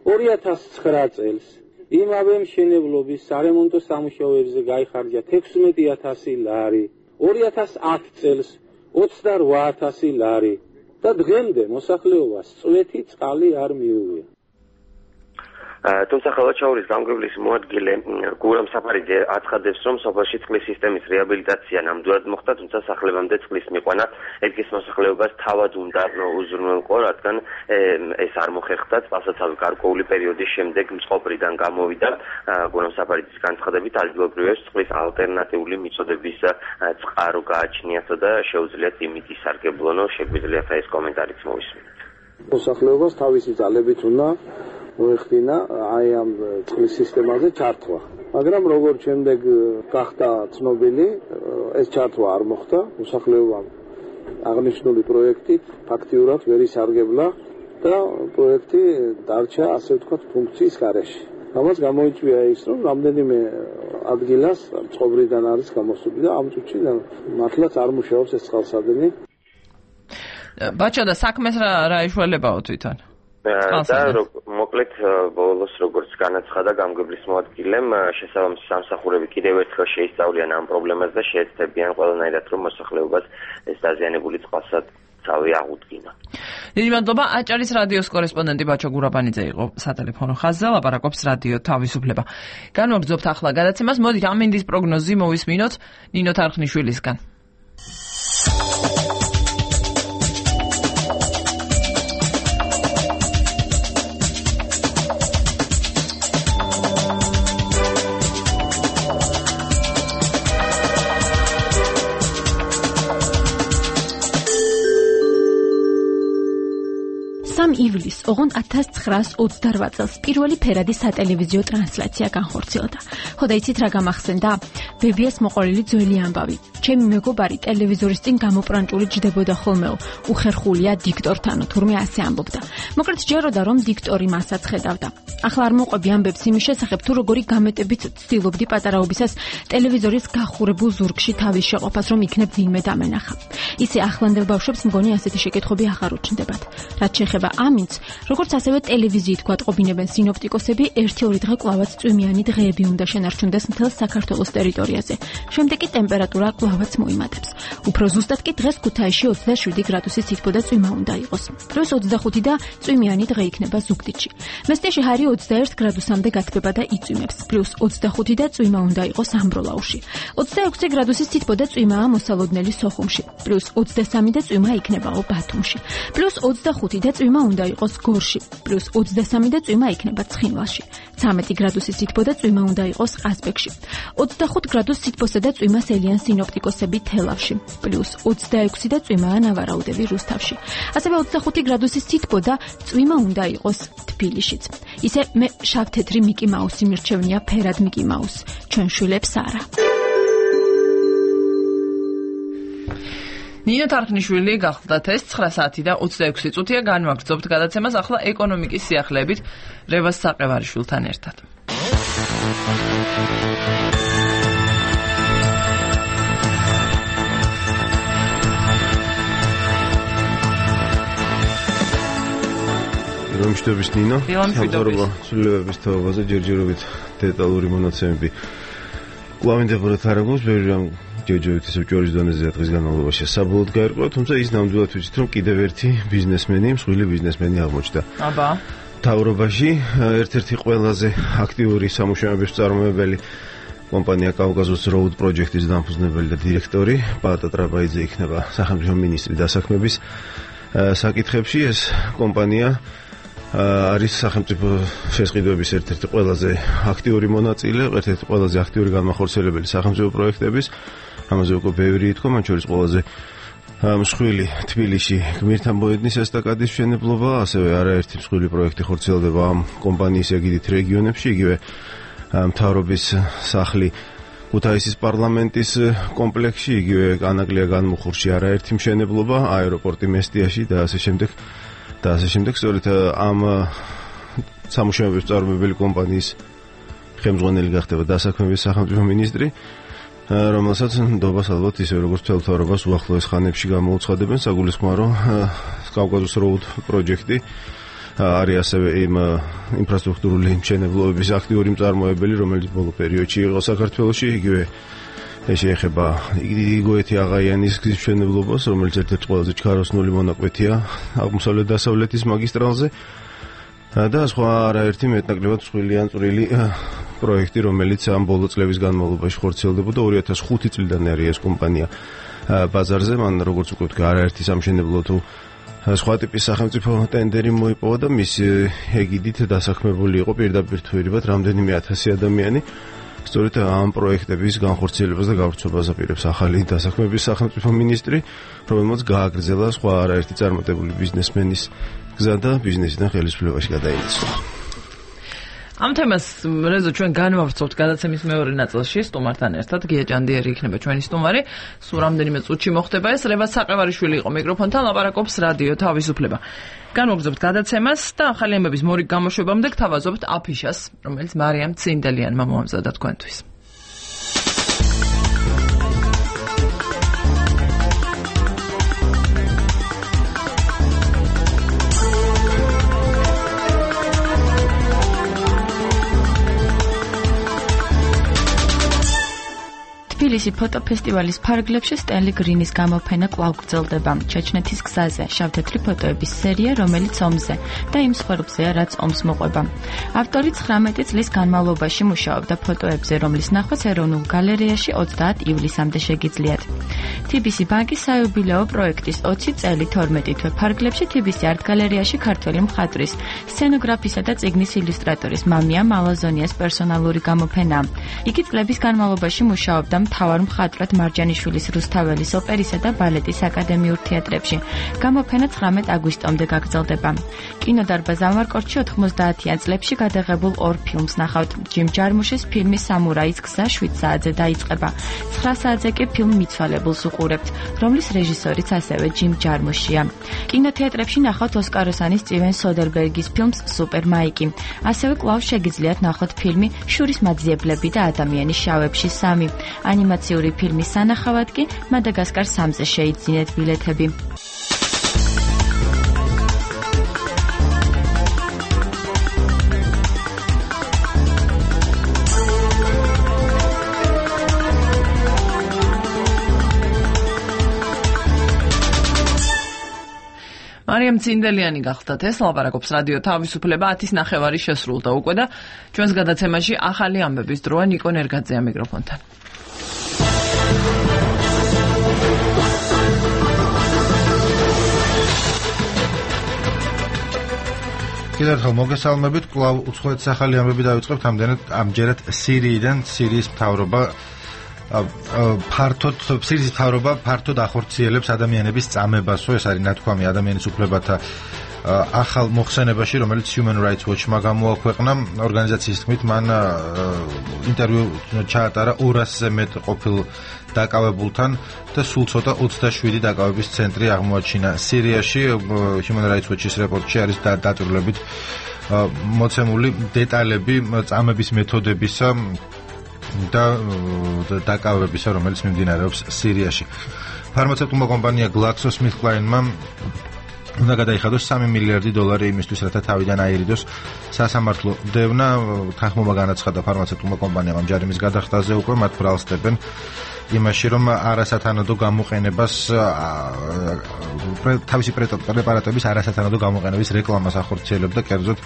2009 წელს იმავე მშენებლობის სარემონტო სამუშაოებზე გაიხარჯა 16,000 ლარი, 2010 წელს 28,000 ლარი. და დღემდე მოსახლეობას წვეთი წყალი არ მიუღია. თუმცა ხელოჩეურის გამგებლის მოადგილე გურამ საფარიძე აცხადებს, რომ სოფელში წყლის სისტემის რეაბილიტაცია ნამდვილად მოხდა, თუმცა სახლებამდე წყლის მიყვანა ერგის მოსახლეობას თავად უნდა უზრუნველყო, რადგან ეს არ მოხერხდა წყალსაცავის გარკვეული პერიოდის შემდეგ მწყობრიდან გამოვიდა. გურამ საფარიძის განცხადებით, ადგილობრივებს წყლის ალტერნატიული მიწოდების წყარო გააჩნიათ და შეუძლიათ იმით ისარგებლონო. შეგვიძლიათ ეს კომენტარიც მოვისმინოთ. მოსახლეობას თავისი ძალებით უნდა მოეხდინა აი ამ წყლის სისტემაზე ჩართვა. მაგრამ როგორც შემდეგ გახდა ცნობილი, ეს ჩართვა არ მოხდა. მოსახლეობამ აღნიშნული პროექტით ფაქტიურად ვერ ისარგებლა და პროექტი დარჩა, ასე ვთქვათ, ფუნქციის გარეშე. ამას გამოიწვია ის, რომ რამდენიმე ადგილას წყობრიდან არის გამოსული და ამ წუთში მართლაც არ მუშაობს ეს წყალსადენი. ბაჩო და საქმეს რა ეშველებაო თვითონ? და მოკლედ ბოლოს როგორც განაცხადა გამგებლის მოადგილემ, შესაბამისი სამსახურები კიდევ ერთხელ შეისწავლიან ამ პრობლემას და შეეცდებიან ყველანაირად, რომ მოსახლეობას ეს დაზიანებული წყალსაცავი აღუდგინა. დიდი მადლობა. აჭარის რადიოს კორესპონდენტი ბაჩო გურაბანიძე იყო სატელეფონო ხაზზე, ლაპარაკობს რადიო თავისუფლება. განვაგრძობთ ახლა გადაცემას. მოდით ამინდის პროგნოზი მოვისმინოთ ნინო თარხნიშვილისგან. ივლისს, ოღონდ 1928 წელს პირველი ფერადი სატელევიზიო ტრანსლაცია განხორციელდა. ხოდა იცით რა გამახსენდა? ბებიას მოყოლილი ძველი ამბავი. ჩემი მეგობარი ტელევიზორის წინ გამოპრანჭული ჯდებოდა ხოლმეო, უხერხულია დიქტორთანო, თურმე ასე ამბობდა. მოკლედ ჯეროდა რომ დიქტორი მასაც ხედავდა. ახლა არ მოყვები ამბებს იმის შესახებ, თუ როგორი გამეტებით ცდილობდი პატარაობისას ტელევიზორის გახურებულ ზურგში თავის შეყოფას, რომ იქნებ ვინმე დამენახა. ისე ახლანდელ ბავშვებს მგონი ასეთი შეკითხვები აღარ უჩნდებათ. რაც შეეხება ამინდს, როგორც ასევე ტელევიზიით გვატყობინებენ სინოპტიკოსები, 1-2 დღე კლავაც წვიმიანი დღეები უნდა შენარჩუნდეს მთელ საქართველოს ტერიტორიაზე. შემდეგ კი ტემპერატურა კლავაც მოიმატებს. უფრო ზუსტად კი დღეს ქუთაისში 27 გრადუსის სითბო და წვიმა უნდა იყოს. პლუს 25 და წვიმიანი დღე იქნება ზუგდიდში. მესტიაში ჰარი 21 გრადუსამდე გათბება და იწვიმებს. პლუს 25 და წვიმა უნდა იყოს ამბროლაუში. 26 გრადუსის სითბო და წვიმაა მოსალოდნელი სოხუმში. პლუს 23 და წვიმა იქნებაო ბათუმში. პლუს 25 და წვიმა უნდა იყოს გორში. პლუს 23 და წვიმა იქნება ცხინვალში. 13 გრადუსის სითბო და წვიმა უნდა იყოს ყაზბეგში. 25 გრადუს სითბოსა და წვიმას ელიან სინოპტიკოსები თელავში. პლუს 26 და წვიმაა ნავარაუდები რუსთავში. ასევე 25 გრადუსის სითბო და წვიმა უნდა იყოს თბილისშიც. ისე მე შავ-თეთრი მიკი მაუსი მირჩევნია ფერად მიკი მაუს. ჩვენ შვილებს არა. ნინო თარხნიშვილი გახლდათ ეს 9 საათი და 26 წუთია განვაგრძობთ გადაცემას ახლა ეკონომიკის სიახლეებით რევაზ საყევარიშვილთან ერთად. რომშტების ნინო, სამწუხაროა ცვლილებების თაობაზე ჯერჯერობით დეტალური მონაცემები კვლავინდებოდათ არ აქვს, ბევრი რამ ჯერჯერობით ისევ ჯვარის დონეზე დღის განმავლობაში საბოლოოდ გაერკვა, თუმცა ის ნამდვილად ვიცით, რომ კიდევ ერთი ბიზნესმენი, მსხვილი ბიზნესმენი აღმოჩნდა. აბა. თავრობაში ერთ-ერთი ყველაზე აქტიური სამუშაოების მწარმოებელი კომპანია კავკასიის Road Project-ის დამფუძნებელი და დირექტორი პაატა ტრაბაიძე იქნება სახელმწიფო მინისტრი დასაქმების საკითხებში. ეს კომპანია არის სახელმწიფო შესყიდვების ერთ-ერთი ყველაზე აქტიური მონაწილე, ერთ-ერთი ყველაზე აქტიური განმახორციელებელი სახელმწიფო პროექტების. ამაზე უკვე ბევრი ითქვა, მათ შორის ყველაზე მსხვილი თბილისში გმირთან მოედნის ესტაკადის მშენებლობა, ასევე არაერთი მსხვილი პროექტი ხორციელდება ამ კომპანიის ეგიდით რეგიონებში, იგივე მთავრობის სახლი ქუთაისის პარლამენტის კომპლექსში, იგივე ანაკლია განმუხურში არაერთი მშენებლობა, აეროპორტი მესტიაში და ასე შემდეგ. სწორედ ამ სამუშაოების მწარმოებელი კომპანიის ხელმძღვანელი გახდება დასაქმების სახელმწიფო მინისტრი, რომელსაც ნდობას ალბათ ისე როგორც მთელ მთავრობას უახლოეს ხანებში გამოუცხადებენ. საგულისხმოა, რომ კავკასიის Road Project-ი არის ასევე იმ ინფრასტრუქტურული მშენებლობების აქტიური მწარმოებელი, რომელიც ბოლო პერიოდში იყო საქართველოში, იგივე შეეხება იგოეთი აღაიანის გზის მშენებლობას, რომელიც ერთ-ერთი ყველაზე ჩქაროსნული მონაკვეთია აღმოსავლეთ-დასავლეთის მაგისტრალზე და სხვა არაერთი მეტნაკლებად მსხვილი ან წვრილი პროექტი, რომელიც ამ ბოლო წლების განმავლობაში ხორციელდებოდა. 2005 წლიდან არის ეს კომპანია ბაზარზე, მან როგორც უკვე ვთქვა, არაერთი სამშენებლო თუ სხვა ტიპის სახელმწიფო ტენდერი მოიპოვა და მის ეგიდით დასაქმებული იყო პირდაპირ თუ ერებად რამდენიმე 1000 ადამიანი. სწორედ ამ პროექტების განხორციელებას და გავრცელებას აპირებს ახალი დასაქმების სახელმწიფო მინისტრი, რომელმაც გააგრძელა სხვა არაერთი წარმატებული ბიზნესმენის გზა და ბიზნესიდან ხელისუფლებაში გადაინაცვლა. ამ თემას რეზო ჩვენ განვავრცობთ გადაცემის მეორე ნაწილში სტუმართან ერთად. გია ჭანდიერი იქნება ჩვენი სტუმარი. სულ რამდენიმე წუთში მოხდება ეს. რევაზ საყევარიშვილი იყო მიკროფონთან, ლაპარაკობს რადიო თავისუფლება. განვაგრძობთ გადაცემას და ახალი ამბების მორიგ გამოშვებამდე გთავაზობთ აფიშას, რომელიც მარიამ ცინდელიანმა მოამზადა თქვენთვის. თბილისი ფოტოფესტივალის ფარგლებში სტენლი გრინის გამოფენა კვლავ გრძელდება. ჩეჩნეთის გზაზე შავ-თეთრი ფოტოების სერია, რომელიც ომზე და იმ მსხვერპლზეა, რაც ომს მოყვება. ავტორი 19 წლის განმავლობაში მუშაობდა ფოტოებზე, რომლის ნახვაც ეროვნულ გალერეაში 30 ივლისამდე შეგიძლიათ. TBC ბანკის საიუბილეო პროექტის 20 წელი 12 თვე ფარგლებში TBC art გალერეაში ქართველი მხატვრის, სცენოგრაფისა და წიგნის ილუსტრატორის მამია მალაზონიას პერსონალური გამოფენა. იგი წლების განმავლობაში მუშაობდა მთავარ მხატვრად მარჯანიშვილის რუსთაველის ოპერისა და ბალეტის აკადემიურ თეატრებში. გამოფენა 19 აგვისტომდე გაგრძელდება. კინოდარბაზ ამარკორტში 90-იან წლებში გადაღებულ 2 ფილმს ნახავთ. ჯიმ ჯარმუშის ფილმი სამურაის გზა 7 საათზე დაიწყება. 9 საათზე კი ფილმ მიცვალებულს უყურებთ, რომლის რეჟისორიც ასევე ჯიმ ჯარმუშია. კინოთეატრებში ნახავთ ოსკაროსანი სტივენ სოდერბერგის ფილმს სუპერ მაიკი. ასევე კვლავ შეგიძლიათ ნახოთ ფილმი შურის მაძიებლები და ადამიანის შავებში 3. ანიმაციური ფილმის სანახავად კი მადაგასკარ 3-ზე შეიძინეთ ბილეთები. მარიამ ცინდელიანი გახდათ ეს ლაპარაკობს რადიო თავისუფლება 10:09 შესრულდა უკვე და ჩვენს გადაცემაში ახალი ამბების დროა ნიკო ნერგაძეა მიკროფონთან. კიდევ ერთხელ მოგესალმებით, კვლავ უცხოეთის ახალი ამბები დავიწყებთ, ამჯერად სირიიდან. სირიის მთავრობა ფართოდ ახორციელებს ადამიანების წამებასო, ეს არის ნათქვამი ადამიანის უფლებათა ახალ მოხსენებაში, რომელიც Human Rights Watch-მა გამოაქვეყნა. ორგანიზაციის თქმით, მან ინტერვიუ ჩაატარა 200-ზე მეტ ყოფილ დაკავებულთან და სულ ცოტა 27 დაკავების ცენტრი აღმოაჩინა სირიაში. Human Rights Watch-ის რეპორტში არის დაწვრილებით მოცემული დეტალები წამების მეთოდებისა და დაკავებისა, რომელიც მიმდინარეობს სირიაში. ფარმაცევტულმა კომპანია GlaxoSmithKline-მა უნდა გადაიხადოს $3 მილიარდი იმისთვის, რათა თავიდან აირიდოს სასამართლო დევნა. თანხმობა განაცხადა ფარმაცევტულმა კომპანიამ ამ ჯარიმის გადახდაზე უკვე, მათ ბრალსდებენ იმაში, რომ არასათანადო გამოყენებას თავისი პრეპარატების არასათანადო გამოყენების რეკლამას ახორციელებდა, კერძოდ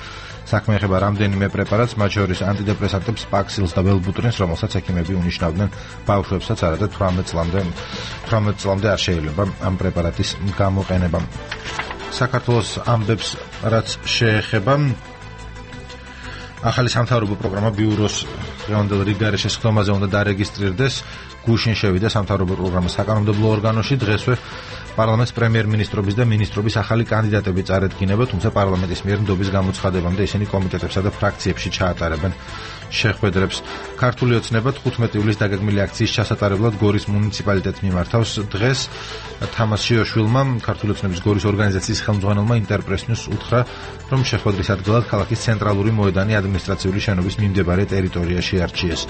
საქმე ეხება რამდენიმე პრეპარატს, მათ შორის ანტიდეპრესანტებს, პაქსილს და ველბუტრინს, რომელსაც ექიმები უნიშნავდნენ ბავშვებსაც, არადა 18 წლამდე არ შეიძლება ამ პრეპარატის გამოყენება. საქართველოს ამბებს რაც შეეხება ახალი სამთავრობო პროგრამა ბიუროს დღევანდელ რიგგარეშე სხდომაზე უნდა დარეგისტრირდეს. გუშინ შევიდა სამთავრობო პროგრამის საკანონმდებლო ორგანოში. დღესვე პარლამენტს პრემიერ-მინისტრობის და მინისტრობის ახალი კანდიდატები წარედგინება, თუმცა პარლამენტის მიერ ნდობის გამოცხადებამდე ისინი კომიტეტებსა და ფრაქციებში ჩაატარებენ შეხვედრებს. ქართული ოცნება 15 ივლისს დაგეგმილი აქციის ჩასატარებლად გორის მუნიციპალიტეტს მიმართავს. დღეს თამაზ შიოშვილმა, ქართული ოცნების გორის ორგანიზაციის ხელმძღვანელმა ინტერპრესნიუს უთხრა, რომ შეხვედრის ადგილად ქალაქის ცენტრალური მოედანი ადმინისტრაციული შენობის მიმდებარე ტერიტორიაში არჩიეს.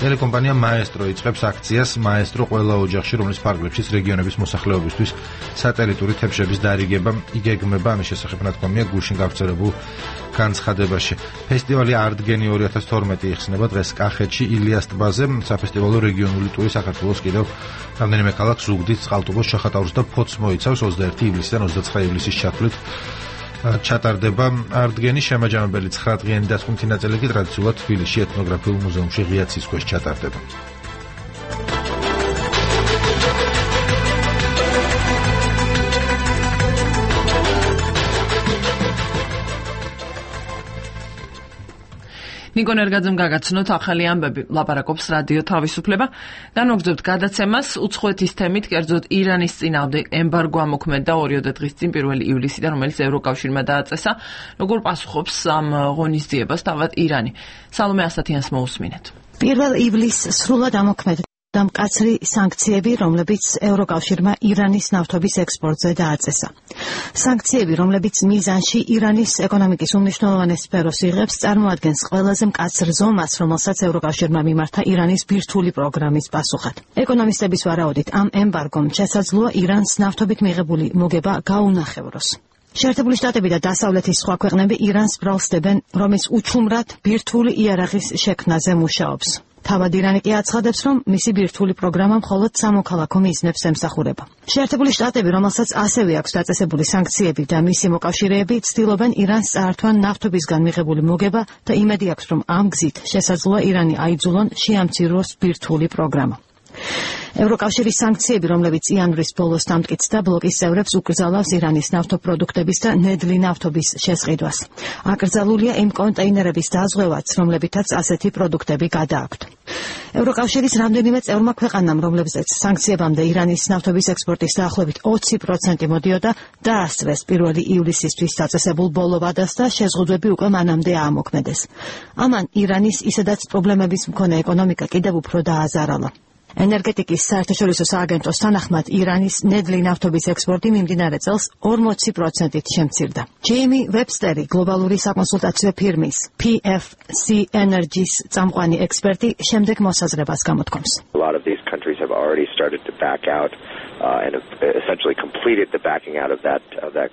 ტელეკომპანია მაესტრო იწყებს აქციას. მაესტრო ყველა ოჯახში, რომლის ფარგლებშიც რეგიონების მოსახლეობისთვის სატელიტური თებშების დარიგება იგეგმება. ამის შესახებ ნათქვამია გუშინ გავრცელებულ განცხადებაში. ფესტივალი არტგენი 2012 იხსნება დღეს კახეთში ილიას ტბაზე. საფესტივალო რეგიონული ტური საქართველოს კიდევ რამდენიმე ქალაქს ზუგდიდს, წყალტუბოს, ჩახატაურს და ფოთს მოიცავს. 21 ივლისიდან 29 ივლისის ჩათვლით ჩატარდება არტგენი. შემაჯამებელი 9 დღიანი დასკვნითი ნაწილი კი ტრადიციულად თბილისში ეთნოგრაფიულ მუზეუმში ღია ცის ქვეშ ჩატარდება. ნიკო ნერგაძემ გაგაცნოთ ახალი ამბები, ლაპარაკობს რადიო თავისუფლება. განვაგრძობთ გადაცემას უცხოეთის თემით, კერძოდ ირანის წინააღმდეგ ემბარგო ამოქმედა 2 დღის წინ 1 ივლისიდან, რომელიც ევროკავშირმა დააწესა. როგორ პასუხობს ამ ღონისძიებას თავად ირანი? სალომე ასათიანს მოусმინეთ. 1 ივლისს სრულად ამოქმედა მკაცრი სანქციები, რომლებიც ევროკავშირმა ირანის ნავთობის ექსპორტზე დააწესა. სანქციები, რომლებიც მიზანში ირანის ეკონომიკის უმნიშვნელოვანეს სფეროს იღებს, წარმოადგენს ყველაზე მკაცრ ზომას, რომელსაც ევროკავშირმა მიმართა ირანის ბირთვული პროგრამის პასუხად. ეკონომისტების ვარაუდით, ამ ემბარგომ შესაძლოა ირანს ნავთობით მიღებული მოგება გაუნახევროს. შეერთებული შტატები და დასავლეთის სხვა ქვეყნები ირანს ბრალსდებენ, რომ ის უჩუმრად ბირთვული იარაღის შექმნაზე მუშაობს. თავად ირანი კი აცხადებს, რომ მისი ბირთვული პროგრამა მხოლოდ სამოქალაქო მიზნებს ემსახურება. შეერთებული შტატები, რომელსაც ასევე აქვს დაწესებული სანქციები და მისი მოკავშირეები, ცდილობენ ირანს წაართვან ნავთობისგან მიღებული მოგება და იმედი აქვს, რომ ამ გზით შესაძლოა ირანი აიძულონ შეამციროს ბირთვული პროგრამა. ევროკავშირის სანქციები, რომლებიც იანვრის ბოლოს დამტკიცდა, ბლოკის წევრებს უკრძალავს ირანის ნავთობპროდუქტების და ნედლი ნავთობის შესყიდვას. აკრძალულია იმ კონტეინერების დაზღვევაც, რომლებითაც ასეთი პროდუქტები გადააქვთ. ევროკავშირის რამდენიმე წევრმა ქვეყანამ, რომლებზეც სანქციებამდე ირანის ნავთობის ექსპორტის დაახლოებით 20% მოდიოდა, დაასწრეს 1 ივლისისთვის დაწესებულ ბოლო ვადას და შეზღუდვები უკვე მანამდე აამოქმედეს. ამან ირანის ისედაც პრობლემების მქონე ეკონომიკა კიდევ უფრო დააზარალა. ენერგეტიკის საერთაშორისო სააგენტოს თანახმად ირანის ნედლი ნავთობის ექსპორტი მიმდინარე წელს 40%-ით შემცირდა. ჯეიმი ვებსტერი, გლობალური საკონსულტაციო ფირმის PFC Energy-ს წამყვანი ექსპერტი, შემდეგ მოსაზრებას გამოთქვამს. A lot of these countries have already started to back out and have essentially completed the backing out of that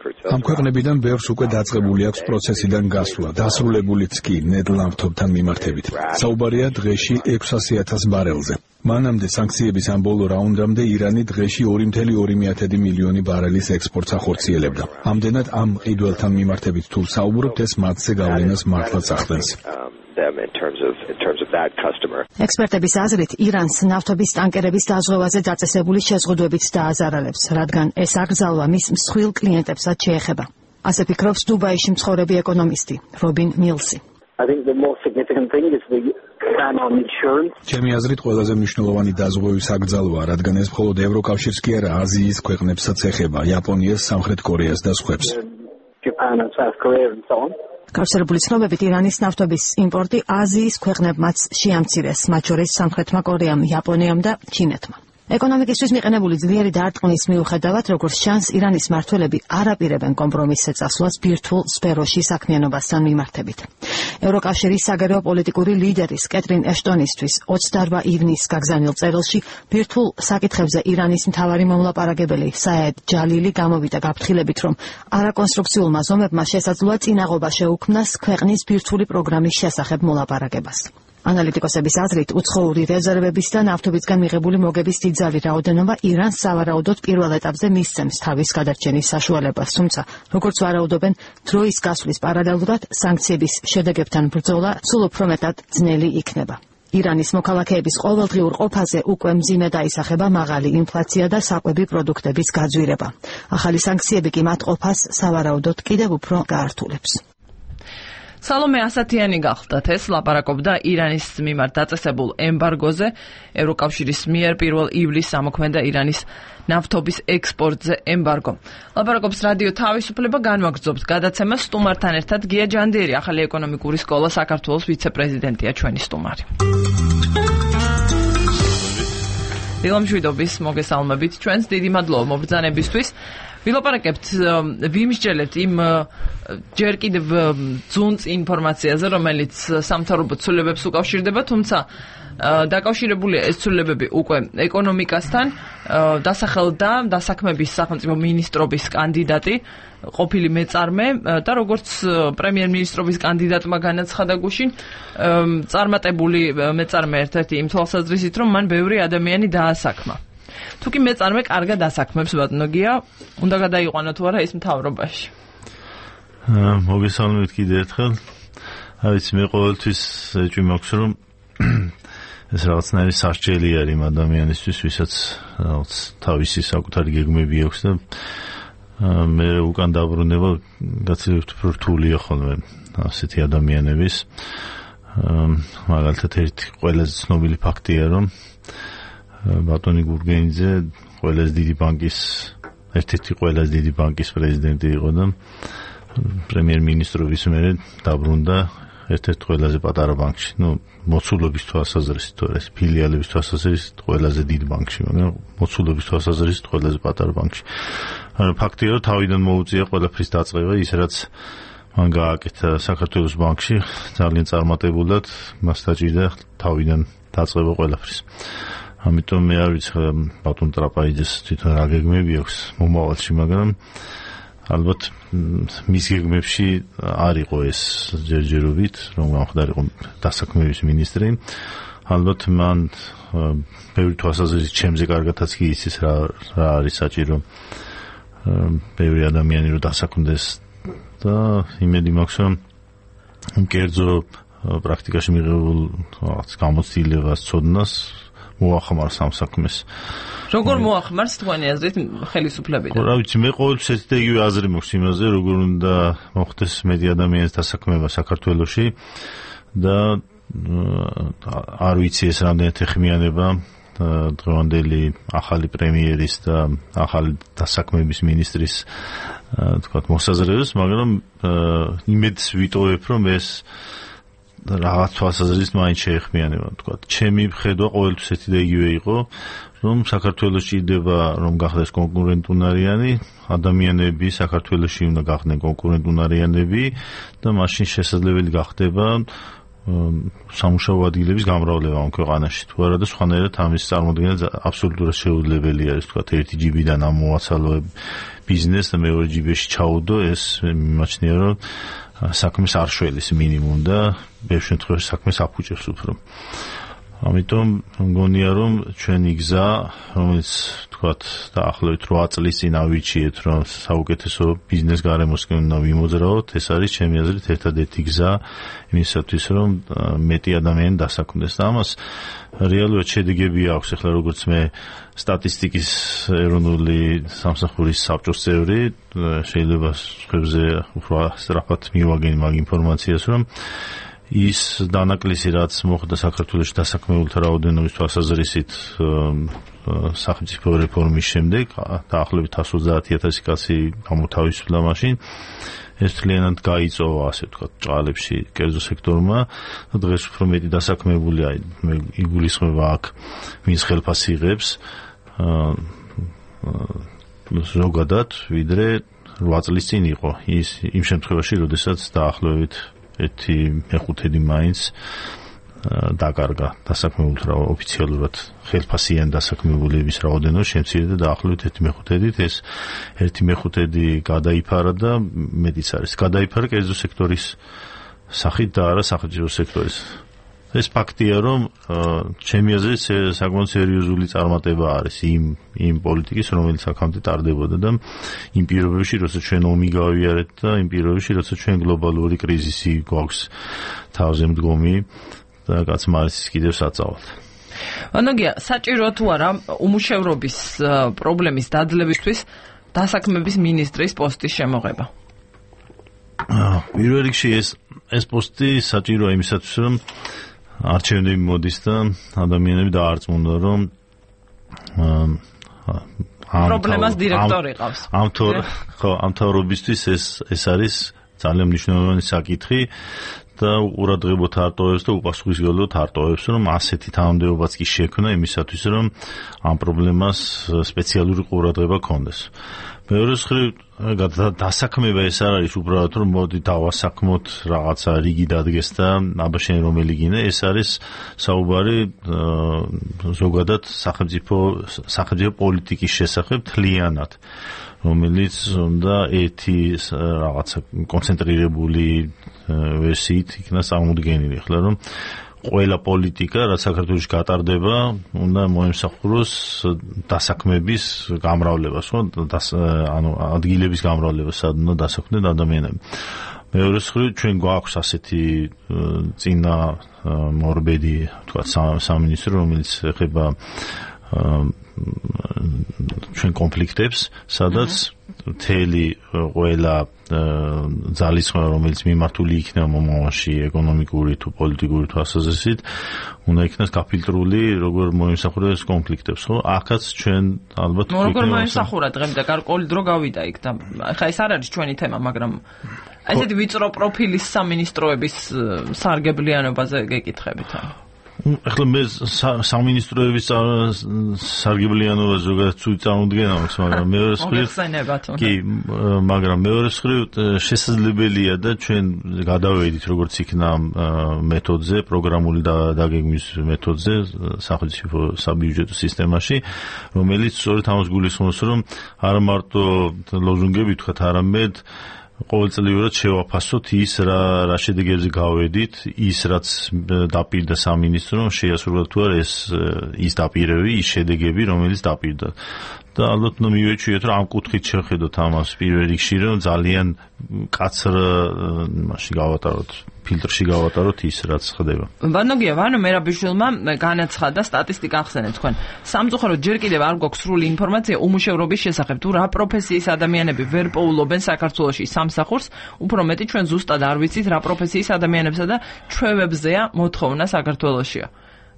crude. ამ ქვეყნებიდან ბევრს უკვე დაწყებული აქვს პროცესიდან გასვლა, დასრულებულიც კი ნედლ ნავთობთან მიმართებით. საუბარია დღეში 600,000 ბარელზე. მანამდე სანქციების ამ ბოლო რაუნდამდე ირანი დღეში 2,2 მილიონი ბარელის ექსპორტს ახორციელებდა. ამდენად ამ ყიდველთან მიმართებით თუ საუბრობთ, ეს მათზე გავლენას მართლაც ახდენს. ექსპერტების აზრით, ირანს ნავთობის ტანკერების დაზღვევაზე დაწესებული შეზღუდვებით დააზარალებს, რადგან ეს აკრძალვა მის მსხვილ კლიენტებსაც შეეხება. ასე ფიქრობს დუბაიში მცხოვრები ეკონომისტი რობინ მილსი. ჩემი აზრით, ყველაზე მნიშვნელოვანი დაზღვევის აკრძალვა, რადგან ეს მხოლოდ ევროკავშირს კი არა, აზიის ქვეყნებსაც ეხება, იაპონიას, სამხრეთ კორეას და სხვებს. გავრცელებული ცნობებით, ირანის ნავთობის იმპორტი აზიის ქვეყნებმაც შეამცირეს, მათ შორის სამხრეთმა კორეამ, იაპონიამ და ჩინეთმა. ეკონომიკისთვის მიყენებული ძლიერი დარტყმის მიუხედავად, როგორც ჩანს, ირანის მმართველები არ აპირებენ კომპრომისზე წასვლას ბირთვულ სფეროში საქმიანობასთან მიმართებით. ევროკავშირის საგარეო პოლიტიკური ლიდერის კეტრინ ეშტონისთვის 28 ივნისს გაგზავნილ წერილში ბირთვულ საკითხებზე ირანის მთავარი მომლაპარაკებელი საედ ჯალილი გამოვიდა გაფრთხილებით, რომ არაკონსტრუქციულმა ზომებმა შესაძლოა წინაღობა შეუქმნას ქვეყნის ბირთვული პროგრამის შესახებ მოლაპარაკებას. ანალიტიკოსების აზრით, უცხოური რეზერვების და ნავთობისგან მიღებული მოგების დიდძალი რაოდენობა ირანს სავარაუდოდ პირველ ეტაპზე მისცემს თავის გადარჩენის საშუალებას, თუმცა, როგორც ვარაუდობენ, დროის გასვლის პარალელურად სანქციების შედეგებთან ბრძოლა სულ უფრო მეტად ძნელი იქნება. ირანის მოქალაქეების ყოველდღიურ ყოფაზე უკვე მძიმე დაისახება მაღალი ინფლაცია და საკვები პროდუქტების გაძვირება. ახალი სანქციები კი მათ ყოფას სავარაუდოდ კიდევ უფრო გაართულებს. სალომე ასათიანი გახლდათ, ეს ლაპარაკობდა ირანის მიმართ დაწესებულ ემბარგოზე. ევროკავშირის მიერ 1 ივლისს ამოქმედა ირანის ნავთობის ექსპორტზე ემბარგო. ლაპარაკობს რადიო თავისუფლება, განვაგრძობთ გადაცემას სტუმართან ერთად. გია ჯანდიერი, ახალი ეკონომიკური სკოლა საქართველოს ვიცე-პრეზიდენტია, ჩვენი სტუმარი. დილამშვიდობის მოგესალმებით, ჩვენს დიდი მადლობა მობრძანებისთვის. ვილაპარაკებთ, ვიმსჯელებთ იმ ჯერ კიდევ ძუნწ ინფორმაციაზე, რომელიც სამთავრობო ცვლილებებს უკავშირდება, თუმცა დაკავშირებულია ეს ცვლილებები უკვე ეკონომიკასთან. დასახელდა დასაქმების სახელმწიფო მინისტრობის კანდიდატი, ყოფილი მეწარმე და როგორც პრემიერ-მინისტრობის კანდიდატმა განაცხადა გუშინ, წარმატებული მეწარმე ერთ-ერთი იმ თვალსაზრისით, რომ მან ბევრი ადამიანი დაასაქმა. თუკი მეწარმე კარგად დასაქმებს, ბატონო გია, უნდა გადაიყვანო თუ არა ის მთავრობაში. მოგესალმებით კიდევ ერთხელ. ვიცი, მე ყოველთვის ეჭვი მაქვს, რომ ეს რაღაცნაირი სასჯელი არის იმ ადამიანისთვის, ვისაც თავისი საკუთარი გეგმები აქვს და მე უკან დაბრუნება გაცილებით უფრო რთულია ხოლმე ასეთი ადამიანების. მაგალითად, ერთი ყველაზე ცნობილი ფაქტია, რომ ბატონი გურგენიძე ერთ-ერთი ყველაზე დიდი ბანკის პრეზიდენტი იყო და პრემიერ-მინისტრობის მერე დაბრუნდა ერთ-ერთ ყველაზე პატარა ბანკში. მოცულობის თვალსაზრისით, ეს ფილიალების თვალსაზრისით ყველაზე დიდ ბანკში, მაგრამ მოცულობის თვალსაზრისით ყველაზე პატარა ბანკში. ფაქტია, რომ თავიდან მოუწია ყველაფრის დაწყება, ის რაც მან გააკეთა საქართველოს ბანკში, ძალიან წარმატებულად მას დაჭირდა თავიდან დაწყება ყველაფრის. ამიტომ მე არ ვიცი ბატონ ტრაპაიძეს თვითონ რა გეგმები აქვს მომავალში, მაგრამ ალბათ მის გეგმებში არ იყო ეს ჯერჯერობით, რომ გამხდარიყო დასაქმების მინისტრი. ალბათ მან ბევრი თვალსაზრისით ჩემზე კარგათაც კი იცის რა არის საჭირო ბევრი ადამიანი რომ დასაქმდეს და იმედი მაქვს, რომ კერძო პრაქტიკაში მიღებულ გამოცდილებას, ცოდნას მოახმარს ამ საქმეს. როგორ მოახმარს თქვენი აზრით ხელისუფლებიდან? რა ვიცი, მე ყოველთვის ერთი და იგივე აზრი მაქვს იმაზე, როგორ უნდა მოხდეს მეტი ადამიანის დასაქმება საქართველოში და არ ვიცი ეს რამდენად ეხმიანება დღევანდელი ახალი პრემიერის და ახალი დასაქმების მინისტრის თქვათ მოსაზრებას, მაგრამ იმედს ვიტოვებ, რომ ეს რაღაც თვალსაზრისით მაინც შეეხმიანება, თქვათ. ჩემი ხედვა ყოველთვის ერთი და იგივე იყო, რომ საქართველოს ჭირდება რომ გახდეს კონკურენტუნარიანი ადამიანები, საქართველოში უნდა გახდნენ კონკურენტუნარიანები და მაშინ შესაძლებელი გახდება სამუშაო ადგილების გამრავლება ამ ქვეყანაში. თუ არა და სხვანაირად ამის წარმოქმნა აბსოლუტურად შეუძლებელი არის, თქვათ, ერთი ჯიბიდან ამ მოაცალო ბიზნესს და მეორე ჯიბეში ჩაუდო, ეს მიმაჩნია, რომ საქმეს არ შველის მინიმუმ და ბევრ შემთხვევაში საქმეს აფუჭებს უფრო. ამიტომ მგონია, რომ ჩვენი გზა, რომელიც თქვათ დაახლოებით 8 წლის წინ ავიჩიეთ, რომ საუკეთესო ბიზნეს გარემოსკენ უნდა ვიმოძრაოთ, ეს არის ჩემი აზრით ერთადერთი გზა იმისათვის, რომ მეტი ადამიანი დასაქმდეს. და ამას რეალურად შედეგები აქვს. ახლა როგორც მე სტატისტიკის ეროვნული სამსახურის საბჭოს წევრი, შეიძლება სხვებზე უფრო სწრაფად მივაგენ მაგ ინფორმაციას, რომ ის დანაკლისი რაც მოხდა საქართველოში დასაქმებულთა რაოდენობის თვალსაზრისით სახელმწიფო რეფორმის შემდეგ, დაახლოებით 130,000 კაცი გამოთავისუფლა მაშინ, ეს მთლიანად გაიწოვა, ასე ვთქვათ, ჭყალებში კერძო სექტორმა და დღეს უფრო მეტი დასაქმებულია, მე იგულისხმება აქ ვინც ხელფას იღებს ზოგადად, ვიდრე 8 წლის წინ იყო. ის იმ შემთხვევაში, როდესაც დაახლოებით 1/5 მაინც დაკარგა დასაქმებულთა ოფიციალურად ხელფასიან დასაქმებულების რაოდენობა შემცირდა დაახლოებით 1/5-ით. ეს 1/5 გადაიფარა და მეტიც არის. გადაიფარა კერძო სექტორის სახით და არა სახელმწიფო სექტორის. ეს ფაქტია, რომ ჩემი აზრით საკმაოდ სერიოზული წარმატება არის იმ პოლიტიკის, რომელიც აქამდე ტარდებოდა და იმ პირობებში, როცა ჩვენ ომი გავიარეთ და იმ პირობებში, როცა ჩვენ გლობალური კრიზისი გვაქვს თავზე მდგომი და კაცმა არის კიდევ საწავალ. ანოგია, საჭირო თუ არა უმუშევრობის პრობლემის დაძლებისთვის დასაქმების მინისტრის პოსტის შემოღება? პირველ რიგში ეს პოსტი საჭიროა იმისათვის, რომ არჩევნები მოდის და ადამიანები დაარწმუნდა, რომ პრობლემას დირექტორი ყავს. ამ თავრობისთვის ეს არის ძალიან მნიშვნელოვანი საკითხი და ყურადღებოთ არტოვებს და უპასუხისმგებლოდ არტოვებს, რომ ასეთი თანამდებობაც კი შექმნა იმისათვის, რომ ამ პრობლემას სპეციალური ყურადღება ქონდეს. მეორე მხრივ დასაქმება ეს არ არის უბრალოდ რომ მოდი დავასაქმოთ რაღაცა რიგი დადგეს და აბა შენ რომელი გინდა, ეს არის საუბარი ზოგადად სახელმწიფო პოლიტიკის შესახებ თლიანად, რომელიც უნდა ერთი რაღაცა კონცენტრირებული ვერსიით იქნას წარმოდგენილი. ახლა რომ ყველა პოლიტიკა, რაც საქართველოში გატარდება, უნდა მოემსახუროს დასაქმების გამრავლებას, ხო? ანუ ადგილების გამრავლებას, სად უნდა დასაქმდნენ ადამიანები. მეორე მხრივ, ჩვენ გვაქვს ასეთი წინა მორბედი, თქვა სამინისტრო, რომელიც ეხება ჩვენ კონფლიქტებს, სადაც მთელი ყველა ძალისხმევა, რომელიც მიმართული იქნება მომავალში ეკონომიკური თუ პოლიტიკური თვალსაზრისით, უნდა იქნას გაფილტრული, როგორ მოიმსახუროს კონფლიქტებს, ხო? აქაც ჩვენ ალბათ როგორ მოიმსახურა დღემდე გარკვეული დრო გავიდა იქ და ხა ეს არ არის ჩვენი თემა, მაგრამ ესეთი ვიწრო პროფილის სამინისტროების სარგებლიანობაზე გეკითხებით. ახლა მე სამინისტროების სარგებლიანობა ზოგადად ცუდი წარმოდგენა მაქვს, მაგრამ მეორე მხრივ კი, მაგრამ მეორე მხრივ შესაძლებელია და ჩვენ გადავედით როგორც იქნა მეთოდზე, პროგრამული დაგეგმვის მეთოდზე სახელმწიფო საბიუჯეტო სისტემაში, რომელიც სწორედ ამას გულისხმობს, რომ არა მარტო ლოზუნგები თქვათ, არამედ ყოველწლიურად შევაფასოთ ის რა შედეგებზე გავედით, ის რაც დაპირდა სამინისტრო, შეასრულა თუ არა ის დაპირები, ის შედეგები, რომელიც დაპირდა. და ალბათ მივეჩვიეთ რომ ამ კუთხით შევხედოთ ამას პირველ რიგში რომ ძალიან კაცრ მასში გავატაროთ ფილტრში გავატაროთ ის რაც ხდება. ვანოგია ვანო მერაბიშვილმა განაცხადა სტატისტიკა ახსენეთ თქვენ. სამწუხაროდ ჯერ კიდევ არ გვაქვს სრული ინფორმაცია უმუშევრობის შესახებ თუ რა პროფესიის ადამიანები ვერ პოულობენ საქართველოში სამსახურს, უფრო მეტი ჩვენ ზუსტად არ ვიცით რა პროფესიის ადამიანებსა და ჩვევებზეა მოთხოვნა საქართველოშია.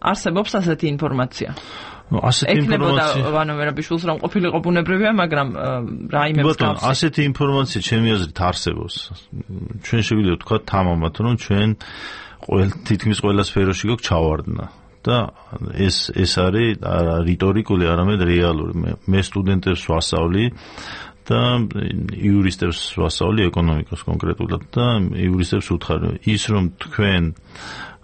არსებობს ასეთი ინფორმაცია? ასეთი ინფორმაცია ვანო მერაბიშვილს რომ ყოფილიყო ბუნებრივია, მაგრამ რაიმე მსგავსი. ასეთი ინფორმაცია ჩემი აზრით არსებობს. ჩვენ შეგვიძლია ვთქვათ თამამად რომ ჩვენ თითქმის ყველა სფეროში გვაქვს ჩავარდნა და ეს არის რიტორიკული, არამედ რეალური. მე სტუდენტებს ვასწავლი და იურისტებს ვასწავლი ეკონომიკას კონკრეტულად და იურისტებს ვუთხარი ის რომ თქვენ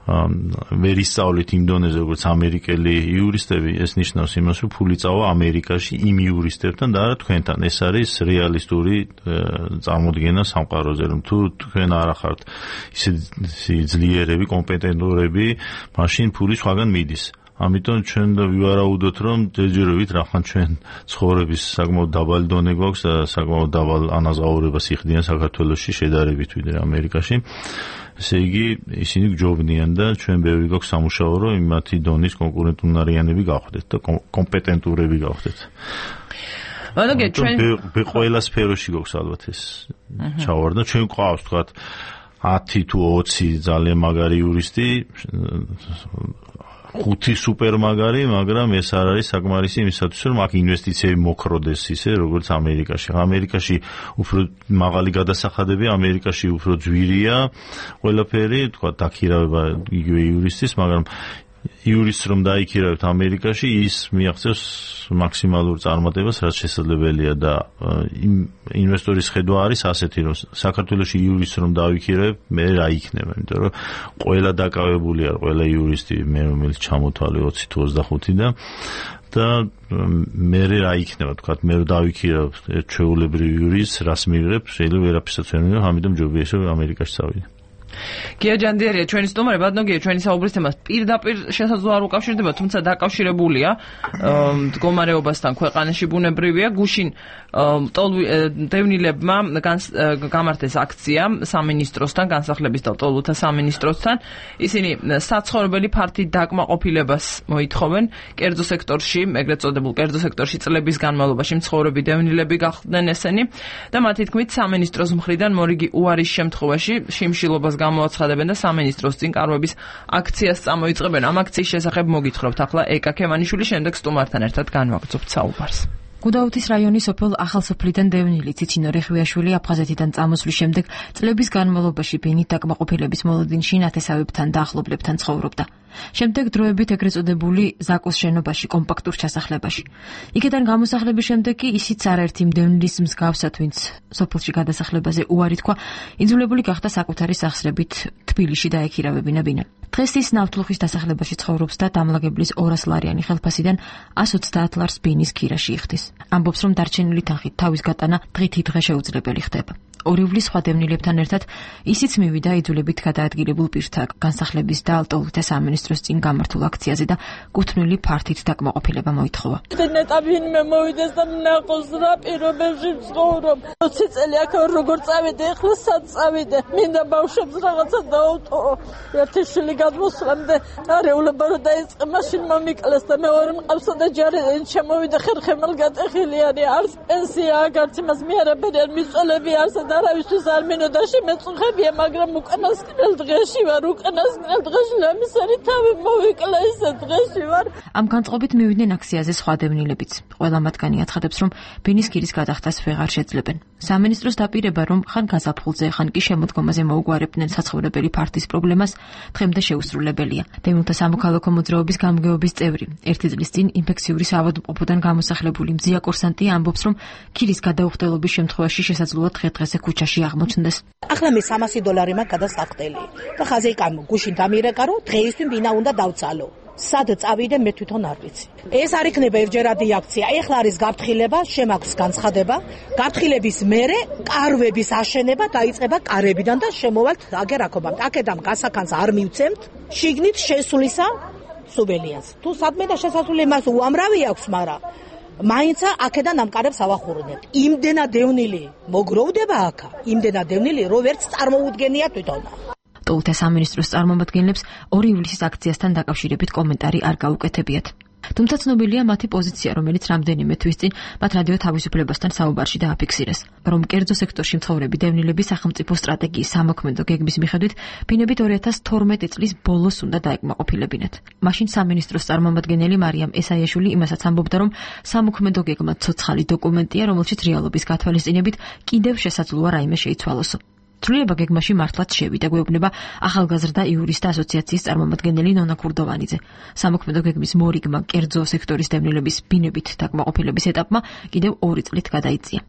ვერ ისწავლით იმ დონეზე როგორც ამერიკელი იურისტები, ეს ნიშნავს იმას, რომ ფული წავა ამერიკაში იმ იურისტებთან და არა თქვენთან. ეს არის რეალისტური წარმოდგენა სამყაროზე, რომ თუ თქვენ არ ახართ ისეთი ძლიერები, კომპეტენტურები, მაშინ ფული სხვაგან მიდის. ამიტომ ჩვენ ვივარაუდოთ, რომ ჯერჯერობით რახან ჩვენ ცხოვრების საკმაოდ დაბალი დონე გვაქვს და საკმაოდ დაბალ ანაზღაურებას იხდიან საქართველოში შედარებით ვიდრე ამერიკაში. ესე იგი, ისინი გჯობნიან და ჩვენ ბევრი გვაქვს სამუშაო, რომ იმათი დონის კონკურენტუნარიანები გავხდეთ და კომპეტენტურები გავხდეთ. ვანოგია ჩვენ ყველა სფეროში გვაქვს ალბათ ეს ჩავარდნა. ჩვენ გვყავს თქვათ 10 თუ 20 ძალიან მაგარი იურისტი, 5 სუპერ მაგარი, მაგრამ ეს არ არის საკმარისი იმისათვის, რომ აქ ინვესტიციები მოქროდეს ისე, როგორც ამერიკაში. ამერიკაში უფრო მაღალი გადასახადებია, ამერიკაში უფრო ძვირია ყველაფერი, თქვა დაქირავება იგივე იურისტის, მაგრამ იურისტს რომ დაიქირავებთ ამერიკაში, ის მიაღწევს მაქსიმალურ წარმატებას, რაც შესაძლებელია და ინვესტორის ხედვა არის ასეთი, რომ საქართველოში იურისტს რომ დავიქირავებ, მე რა იქნება, იმიტომ რომ ყველა დაკავებული არ, ყველა იურისტი მე რომელიც ჩამოთვალე 20 თუ 25 და მე რა იქნება, თქვა მე რომ დავიქირავ ჩვეულებრივ იურისტს, რას მივიღებ, შეიძლება ვერაფერსაც ვერ მივიღებ, ამიტომ ჯობია ისე ამერიკაში წავიდე. გია ჯანდიერია ჩვენი სტუმარი, ბატონო ჩვენი საუბრის თემა პირდაპირ შესაძლოა არ უკავშირდება, თუმცა დაკავშირებულია მდგომარეობასთან ქვეყანაში ბუნებრივია. გუშინ დევნილებმა გამართეს აქცია სამინისტროსთან, განსახლების და ტოლუთა სამინისტროსთან. ისინი საცხოვრებელი ფართით დაკმაყოფილებას მოითხოვენ კერძო სექტორში, ეგრეთ წოდებულ კერძო სექტორში წლების განმავლობაში მცხოვრები დევნილები გახდნენ ესენი და მათი თქმით სამინისტროს მხრიდან მორიგი უარის შემთხვევაში შიმშილობას გამოაცხადებენ და სამინისტროს წინ კარვების აქციას წამოიწყებენ. ამ აქციის შესახებ მოგითხრობთ ახლა ეკა ქემანიშვილი, შემდეგ სტუმართან ერთად განვაგრძობთ საუბარს. გუდაუთის რაიონის სოფელ ახალსოფლიდან დევნილი ციცინო რეხვიაშვილი აფხაზეთიდან წამოსვლის შემდეგ წლების განმავლობაში ბენით დაკმაყოფილების მოლოდინში ნათესავებთან და ახლობლებთან ცხოვრობდა. შემდეგ დროებით ეგრეთ წოდებული ზაკოს შენობაში კომპაქტურ ჩასახლებაში. იქიდან გამოსახლების შემდეგ კი ისიც არაერთი დევნილის მსგავსად, ვინც სოფელში გადასახლებაზე უარი თქვა, იძულებული გახდა საკუთარი სახსრებით თბილისში დაექირავებინა ბინა. დღეს ის ნავთლუხის დასახლებაში ცხოვრობს და დამლაგებლის 200 ლარიანი ხელფასიდან 130 ლარს ბინის ქირაში იხდის. ამბობს, რომ დარჩენილი თანხით თავის გატანა დღითიდღე შეუძლებელი ხდება. ორივლის სხვა დევნილებთან ერთად ისიც მივიდა იძულებით გადაადგილებულ პირთა განსახლების და ტოლუთა სამინისტროს წინ გამართულ აქციაზე და კუთვნილი ფართით დაკმაყოფილება მოითხოვა. ნეტავინმე მოვიდეს და ნახოს რა პირობებში ვცხოვრობ. 20 წელი აქ როგორ წავიდე, ახლა სად წავიდე? მინდა ბავშვებს რაღაცა დაუტოვო. ერთი შვილი გადმოსვლამდე არეულობა რომ დაიწყე, მაშინ მომიკლეს და მეორე მყავსა და ჯარი შემოვიდა ხერხემალ გატეხილი არის. არც პენსია, არც იმას მე არაფერი არ მიწოლები არც არავისთვის არ მინოდაში მეწუხებია, მაგრამ უკანასკნელ დღეში ვარ, უკანასკნელ დღეში ლამისარი თავი მოვიკლა ისე დღეში ვარ. ამ განწყობით მივიდნენ აქციაზე სხვა დევნილებიც. ყველა მათგანი აცხადებს, რომ ბენის ქირის გადახდას ვეღარ შეძლებენ. სამინისტროს დაპირება, რომ ხან გაზაფხულზე, ხან კი შემოდგომაზე მოუგვარებდნენ საცხოვრებელი ფართის პრობლემას, დღემდე შეუსრულებელია. დევნილთა სამოქალაქო მოძრაობის გამგეობის წევრი, ერთი წლის წინ ინფექციური საავადმყოფოდან გამოსახლებული მძია კურსანტი ამბობს, რომ ქირის გადაუხდელობის შემთხვევაში შესაძლოა დღე-დღეზე ქუჩაში აღმოჩნდეს. ახლა მე 300 დოლარი მაქვს გადასახდელი და ხაზეიკამ გუშინ დამირეკა, რომ დღეისთვის ბინა უნდა დავწალო. სად წავიდე მე თვითონ არ ვიცი. ეს არ იქნება ერთჯერადი აქცია. ეხლა არის გაფრთხილება, შემაქვს განცხადება. გაფრთხილების მერე კარვების აშენება დაიწყება კარებიდან და შემოვალთ აგერ აქობამ. აქედან გასახანს არ მივცემთ. შიგნით შესვლისა სუბელიას. თუ სადმე და შესასვლელი მას უამრავი აქვს, მაგრამ მაინცა აქედან ამ კარებს ავახურნებთ. იმდენად დევნილი მოგროვდება აქა, იმდენად დევნილი, რომ ვერც წარმოუდგენია თვითონა. ტოლთა სამინისტროს წარმომადგენლებს 2 ივლისის აქციასთან დაკავშირებით კომენტარი არ გაუკეთებიათ. თუმცა ცნობილია მათი პოზიცია, რომელიც რამდენიმე თვის წინ მათ რადიო თავისუფლებასთან საუბარში დააფიქსირეს, რომ კერძო სექტორში მცხოვრები დევნილების სახელმწიფო სტრატეგიის სამოქმედო გეგმის მიხედვით ბინებით 2012 წლის ბოლოს უნდა დაეკმაყოფილებინათ. მაშინ სამინისტროს წარმომადგენელი მარიამ ესაიაშვილი იმასაც ამბობდა, რომ სამოქმედო გეგმა ცოცხალი დოკუმენტია, რომელშიც რეალობის გათვალისწინებით კიდევ შესაძლოა რაიმე შეიცვალოსო. ცვლილება გეგმაში მართლაც შევიდა, გვეუბნება ახალგაზრდა იურისტთა ასოციაციის წარმომადგენელი ნონა ქურდოვანიძე. სამოქმედო გეგმის მორიგმა კერძო სექტორის დევნილების ბინებით დაკმაყოფილების ეტაპმა კიდევ 2 წლით გადაიწია.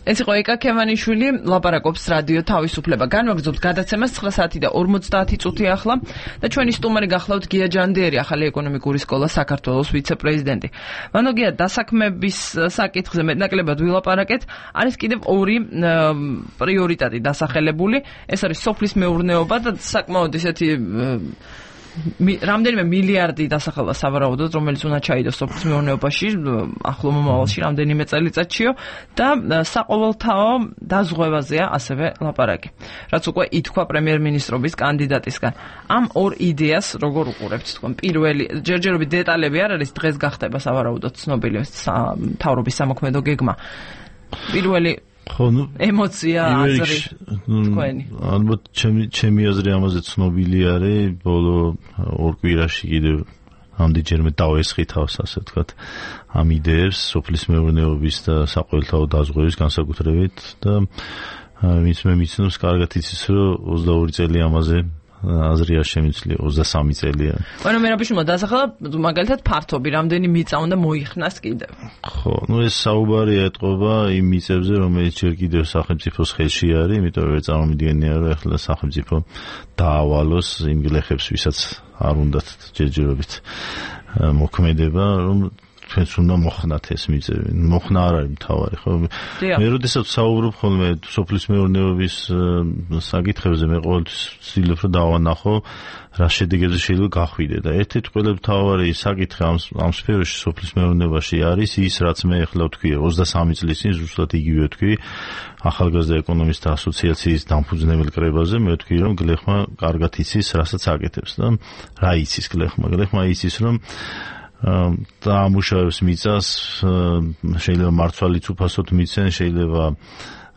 ეს იყო ეკა ქემანიშვილი, ლაპარაკობს რადიო თავისუფლება. განვაგრძობთ გადაცემას 9 საათი და 50 წუთი ახლა და ჩვენი სტუმარი გახლავთ გია ჯანდიერი, ახალი ეკონომიკური სკოლა საქართველოს ვიცე-პრეზიდენტი. მანო გია, დასაქმების საკითხზე მეტნაკლებად ვილაპარაკეთ. არის კიდევ 2 პრიორიტეტი დასახელებული. ეს არის სოფლის მეურნეობა და საკმაოდ ისეთი რამდენიმე მილიარდი დასახელდა სავარაუდოდ, რომელიც უნდა ჩაიდოს სოფლის მეურნეობაში ახლო მომავალში რამდენიმე წელიწადშიო და საყოველთაო დაზღვევაზეა ასევე ლაპარაკი. რაც უკვე ითქვა პრემიერ-მინისტრობის კანდიდატისგან. ამ 2 იდეას როგორ უყურებთ თქვენ? პირველი, ჯერჯერობით დეტალები არ არის, დღეს გახდება სავარაუდოდ ცნობილი მთავრობის სამოქმედო გეგმა. პირველი ემოცია აზრი თქვენი. ალბათ ჩემი აზრი ამაზე ცნობილი არის, ბოლო 2 კვირაში კიდევ ამდენჯერმე დავესხითავს, ასე ვთქვათ, ამ იდეებს სოფლის მეურნეობის და საყოველთაო დაზღვევის განსაკუთრებით და ვინც მე მიცნობს, კარგად იცის, რომ 22 წელი ამაზე აზრია შემიძლია 23 წელია. ანუ მე რაბიშმა დასახელა მაგალითად ფართობი რამდენი მიწა უნდა მოიხნას კიდევ. ხო, ეს საუბარი ეტყობა იმ მიწებზე, რომელიც ჯერ კიდევ სახელმწიფოს ხელში არის, იმიტომ რომ წარმომიდგენია, რომ ახლა სახელმწიფო დაავალოს იმ გლეხებს, ვისაც არ უნდათ ჯერჯერობით მოქმედება, რომ ჩვენც უნდა მოხნათ ეს მიწები. მოხნა არ არის მთავარი, ხო? მე როდესაც საუბრობ ხოლმე სოფლის მეურნეობის საკითხებზე, მე ყოველთვის ვცდილობ რომ დავანახო რა შედეგებზე შეიძლება გახვიდე და ერთ-ერთი ყველაზე მთავარი საკითხი ამ სფეროში სოფლის მეურნეობაში არის ის, რაც მე ახლა ვთქვი 23 წლის წინ ზუსტად იგივე ვთქვი ახალგაზრდა ეკონომისტთა ასოციაციის დამფუძნებელ კრებაზე, მე ვთქვი რომ გლეხმა კარგად იცის, რასაც აკეთებს და რა იცის გლეხმა. გლეხმა იცის რომ და ამუშავებს მიწას, შეიძლება მარცვალიც უფასოდ მიცენ, შეიძლება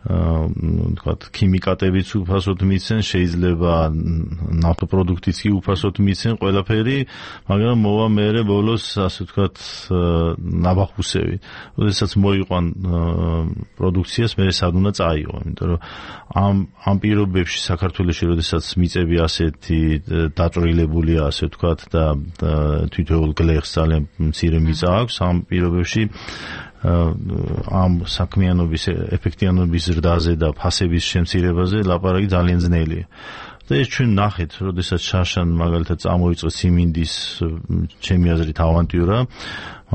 თქვათ ქიმიკატებიც უფასოდ მიცენ, შეიძლება ნავთობპროდუქტიც კი უფასოდ მიცენ, ყველაფერი, მაგრამ მოვა მერე ბოლოს, ასე ვთქვათ, ნაბახუსები. როდესაც მოიყვან პროდუქციას, მერე სად უნდა წაიღო, იმიტომ რომ ამ პირობებში საქართველოში, როდესაც მიწები ასეთი დაწვრილებულია, ასე ვთქვათ, და თითოეულ გლეხს ძალიან მცირე მიწა აქვს, ამ პირობებში ამ საქმიანობის ეფექტიანობის ზრდაზე და ფასების შემცირებაზე ლაპარაკი ძალიან ძნელია. და ეს ჩვენ ნახეთ, როდესაც შარშან მაგალითად წამოიწყო ციმინდის ჩემი აზრით ავანტიურა,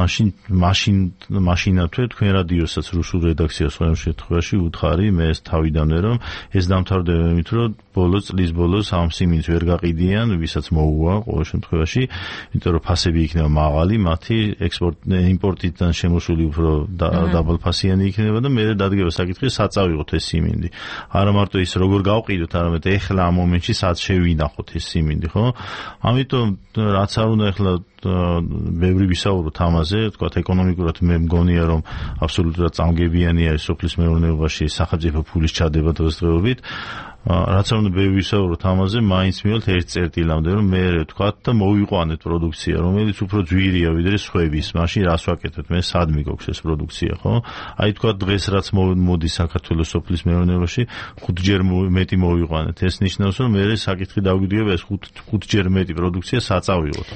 მაშინათვე თქვენ რადიოსაც რუსულ რედაქციას ყოველ შემთხვევაში უთხარი მე ეს თავიდანვე რომ ეს დამთავრდება იმით რომ წლის ბოლოს ამ სიმინდს ვერ გაყიდიან, ვისაც მოუვა ყოველ შემთხვევაში, იმიტომ რომ ფასები იქნება მაღალი, მათი იმპორტიდან შემოსული უფრო დაბალფასიანი იქნება და მე დადგება საკითხი საწავიღოთ ეს სიმინდი. არა მარტო ის როგორ გავყიდოთ, არამედ ეხლა ამ მომენტში სად შევინახოთ ეს სიმინდი, ხო? ამიტომ რაც არ უნდა ეხლა ბევრი ვისაუბროთ ამაზე, თქვათ ეკონომიკურად მე მგონია რომ აბსოლუტურად წამგებიანია სოფლის მეურნეობაში სახელმწიფო ფულის ჩადება დღესდღეობით. რაც არ უნდა ბევრი ვისაუბროთ ამაზე, მაინც მივალთ ერთ წერტილამდე რომ მე ვთქვათ და მოვიყვანეთ პროდუქცია, რომელიც უფრო ძვირია ვიდრე სხვების. მაშინ რას ვაკეთებთ? მე სად მიგოქს ეს პროდუქცია, ხო? აი თქვათ დღეს რაც მოდის საქართველოს სოფლის მეურნეობაში, 5ჯერ მეტი მოვიყვანეთ. ეს ნიშნავს რომ მე საკითხი დავგვიდგება ეს 5ჯერ მეტი პროდუქცია საწავიღოთ.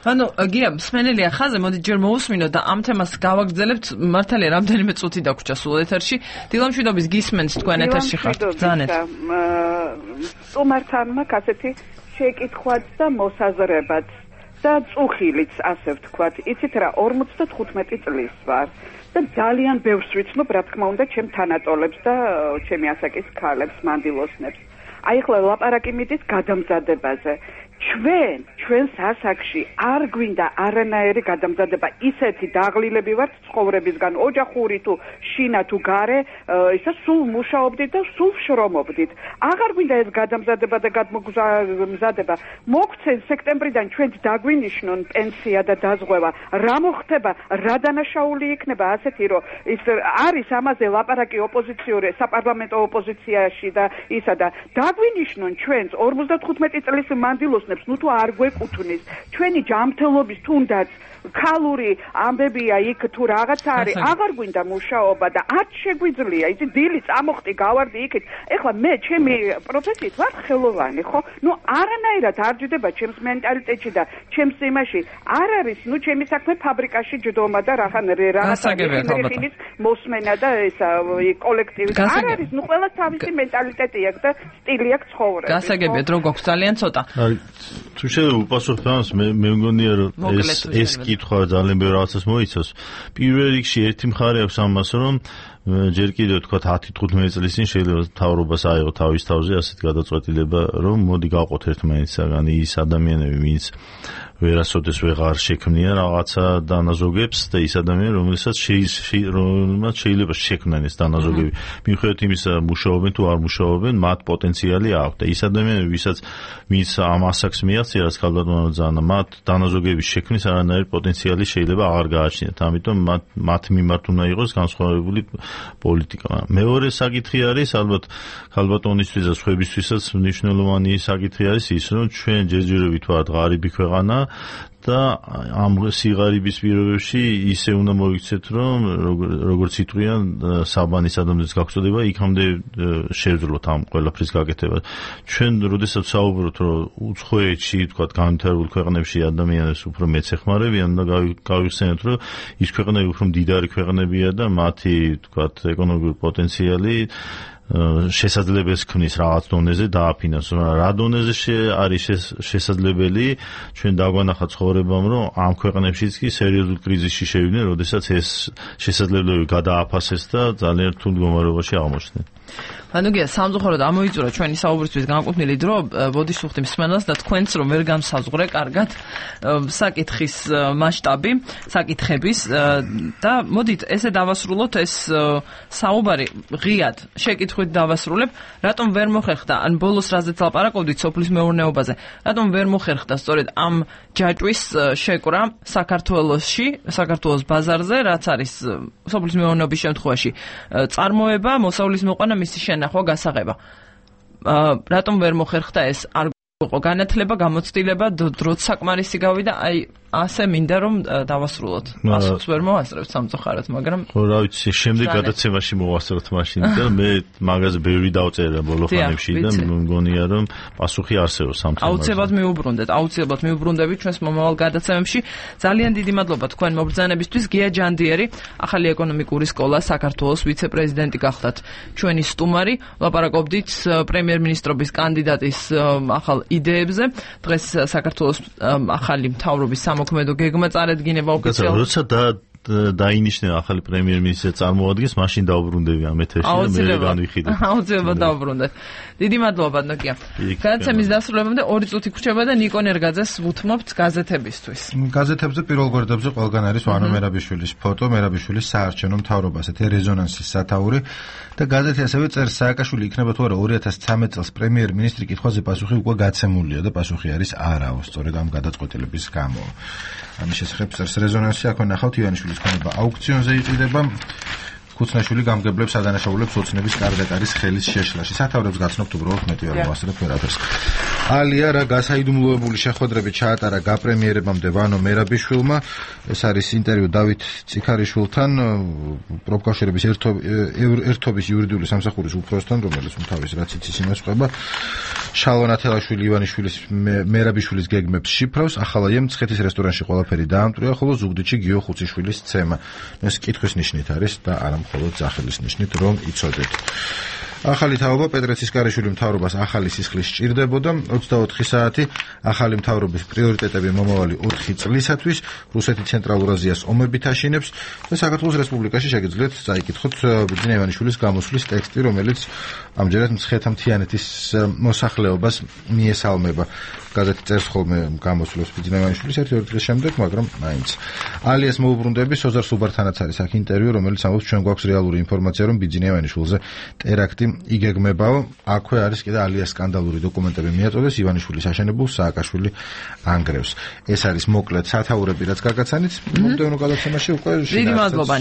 ანუ გია მსმენელია ხაზე, მოდით ჯერ მოусმინოთ და ამ თემას გავაგრძელებთ. მართალია რამდენიმე წუთი დაგვრჩა სულ ეთერში. დილამშვიდობის გისმენთ თქვენ ეთერში ხართ. ბრძანეთ. სტუმართანმა ასეთი შეკითხვაც და მოსაზრებაც და წუხილიც, ასე ვთქვათ. იცით რა, 55 წლის ვარ და ძალიან ბევრს ვიცნობ, რა თქმა უნდა, ჩემ თანატოლებს და ჩემი ასაკის ქალებს, მანდილოსნებს. აი ახლა ლაპარაკი მიდის გადამზადებაზე. ჩვენს ასაკში არ გვინდა არანაირი გადამზადება, ისეთი დაღლილები ვართ ცხოვრებისგან, ოჯახური თუ შინა თუ გარე, ისა სულ მუშაობდით და სულ შრომობდით. აღარ გვინდა ეს გადამზადება და გადმოგზადება. მოგცენ სექტემბრიდან ჩვენც დაგვინიშნონ პენსია და დაზღვევა. რა მოხდება, რა დანაშაული იქნება ასეთი, რომ ის არის ამაზე ლაპარაკი ოპოზიციური საპარლამენტო ოპოზიციაში და ისა და დაგვინიშნონ ჩვენც 55 წლის მანდილოსნებს, ნუ თუ არ გვეკუთვნის, ჩვენი ჯანმრთელობის თუნდაც ქალური ამბებია იქ თუ რაღაც არის, აღარ გვინდა მუშაობა და არც შეგვიძლია, იცი დილი წამოხტი გავარდი იქით. ეხლა მე ჩემი პროფესიით ვარ ხელოვანი, ხო? ნუ არანაირად არ ჯდება ჩემს მენტალიტეტში და ჩემს იმაში არ არის, ნუ ჩემი საქმე ფაბრიკაში ჯდომა და რაღაცის მოსმენა და ესა კოლექტივი. არ არის, ნუ ყველას თავისი მენტალიტეტი აქვს და სტილი აქვს ცხოვრების. გასაგებია, დრო გვაქვს ძალიან ცოტა. თუ შეიძლება უპასუხოთ ამას, მე მგონია რომ ეს კითხვა ძალიან ბევრ რაღაცას მოიცავს. პირველ რიგში ერთი მხარე აქვს ამას, რომ ჯერ კიდევ თქვა 10-15 წლის წინ შეიძლება მთავრობას აიღო თავის თავზე ასეთ გადაწყვეტილება, რომ მოდი გავყოთ ერთმანეთსაგან ის ადამიანები, ვინც ვერასოდეს ვეღარ შექმნიან რაღაცა დანაზოგებს და ის ადამიანები, რომელსაც შეიძლება შექმნან ეს დანაზოგები. მიუხედავად იმისა, მუშაობენ თუ არ მუშაობენ, მათ პოტენციალი აქვს და ის ადამიანები, ვინც ამ ასაკს მიაღწია, რაც ქალბატონმა ძანა, მათ დანაზოგების შექმნის არანაირი პოტენციალი შეიძლება აღარ გააჩნიათ. ამიტომ მათ მიმართ უნდა იყოს განსხვავებული პოლიტიკა. მეორე საკითხი არის, ალბათ ქალბატონისთვის და სხვებისთვისაც მნიშვნელოვანი საკითხი არის ის, რომ ჩვენ ჯერჯერობით ვართ ღარიბი ქვეყანა და ამ სიღარიბის პირობებში ისე უნდა მოიქცეთ, რომ როგორც იტყვიან საბანის ადამიანის გაგწოდება, იქამდე შევძლოთ ამ ყველაფრის გაკეთება. ჩვენ როდესაც საუბრობთ, რომ უცხოეთში, თქვა განვითარებულ ქვეყნებში ადამიანებს უფრო მეც ეხმარებიან და გავიხსენოთ, რომ ის ქვეყნები უფრო მდიდარი ქვეყნებია და მათი, თქვა, ეკონომიკური პოტენციალი შესაძლებლებს ქმნის რაღაც დონეზე დააფინანსოს. რა დონეზე არის შესაძლებელი, ჩვენ დაგვანახა ცხოვრებამ, რომ ამ ქვეყნებშიც კი სერიოზულ კრიზისში შევიდნენ, როდესაც ეს შესაძლებლობები გადააფასეს და ძალიან რთულ მდგომარეობაში აღმოჩნდნენ. ანუ სამწუხაროდ ამოიწურა ჩვენი საუბრისთვის განკუთვნილი დრო, ბოდიშუხტი მსმენელს და თქვენც რომ ვერ განსაზღვრე კარგად საკითხის მასშტაბი, საკითხების და მოდით ესე დავასრულოთ ეს საუბარი ღიად შეკითხვით დავასრულებ, რატომ ვერ მოხერხდა, ან ბოლოს რაზეც ლაპარაკობდით სოფლის მეურნეობაზე, რატომ ვერ მოხერხდა სწორედ ამ ჯაჭვის შეკვრა საქართველოს ბაზარზე, რაც არის სოფლის მეურნეობის შემთხვევაში წარმოება, მოსავლის მოყვანა, მისი შენახვა, გასაღება. რატომ ვერ მოხერხდა ეს? არ იყო განათლება, გამოცდილება, დროც საკმარისი გავიდა, აი ასე მინდა რომ დავასრულოთ. პასუხს ვერ მოვასწრებთ სამწუხაროდ, მაგრამ ხო, რა ვიცი, შემდეგ გადაცემაში მოვასწროთ მაშინ და მე მაგაზე ბევრი დავწერა ბოლო ხანებში და მგონია რომ პასუხი არსებობს სამწუხაროდ. აუცილებლად მიუბრუნდებით ჩვენს მომავალ გადაცემებში. ძალიან დიდი მადლობა თქვენ მობრძანებისთვის. გია ჯანდიერი, ახალი ეკონომიკური სკოლა საქართველოს ვიცე-პრეზიდენტი გახდათ ჩვენი სტუმარი. ლაპარაკობდით პრემიერ-მინისტრობის კანდიდატის ახალ იდეებზე. დღეს საქართველოს ახალი მთავრობის მოქმედო გეგმა წარედგინება ოფიციალურად. როცა დაინიშნება ახალი პრემიერ-მინისტრი წარმოადგენს, მაშინ დაუბრუნდები ამ ეთერში და მე განვიხილებ. აუცილებლად დაუბრუნდეთ. დიდი მადლობა ნოკია. გადაცემის დასრულებამდე 2 წუთი გრჩება და ნიკო ნერგაძეს ვუთმობთ გაზეთებისთვის. გაზეთებზე პირველ გვერდებზე ყველგან არის ვანო მერაბიშვილის ფოტო, მერაბიშვილის საარჩევნო მთავრობას, ეთე რეზონანსის სათაური და გაზეთი ასევე წერს, სააკაშვილი იქნება თუ არა 2013 წელს პრემიერ-მინისტრი კითხვაზე პასუხი უკვე გაცემულია და პასუხი არის არაო, სწორედ ამ გადაწყვეტილების გამო. ამის შესახებ წერს რეზონანსი, აქვე ნახავთ ივანიშვილის ქონება აუქციონზე იყიდება. ხუცნაშვილი გამგებლებს ადანაშაულებს ოცნების კარდაკარის ხელის შეშლაში. სათავრებს გაცნობთ უბრალოდ მეტი არ მოასწრებ ვერაფერს. ალია რა გასაიდუმლოებული შეხვედრები ჩაატარა გაპრემიერებამდე ვანო მერაბიშვილმა. ეს არის ინტერვიუ დავით წიქარიშვილთან, პროფკავშირების ერთობის იურიდიული სამსახურის უფროსთან, რომელიც თავის რაც იცის იმას ყვება. შალვა ათელაშვილი ივანიშვილის მერაბიშვილის გეგმებს შიფრავს. ახალაიემ ცხეთის რესტორანში ყველაფერი დაამტვრია, ხოლო ზუგდიდში გიო ხუციშვილის ცემა. ეს კითხვის ნიშნით არის და არა მხოლოდ სახელის ნიშნით, რომ იცოდეთ. ახალი თაობა პეტრეცის კარეშვილი მთავრობას ახალი სისხლის სჭირდებოდა 24 საათი ახალი მთავრობის პრიორიტეტები მომავალი 4 წლისათვის რუსეთი ცენტრალურ აზიას ომებით აშენებს და საქართველოს რესპუბლიკაში შეგიძლიათ წაიკითხოთ ბიძინა ივანიშვილის გამოსვლის ტექსტი რომელიც ამჯერად მცხეთა მთიანეთის მოსახლეობას მიესალმება გაზეთი წერს ხოლმე გამოსვლებს ბიძინა ივანიშვილის 1-2 დღის შემდეგ მაგრამ მაინც ალიას მოუბრუნდები სოზარ სუბართანაც არის აქ ინტერვიუ რომელიც ამბობს ჩვენ გვაქვს რეალური ინფორმაცია რომ ბიძინა ივანიშვილზე ტერაქტი იგეგმებაო აქვე არის კიდე ალიას სკანდალური დოკუმენტები მიაწოდეს ივანიშვილის აშენებულ სააკაშვილი ანგრევს ეს არის მოკლედ სათაურები რაც გაგაცანით მომდევნო გადაცემაში უკვე დიდი მადლობა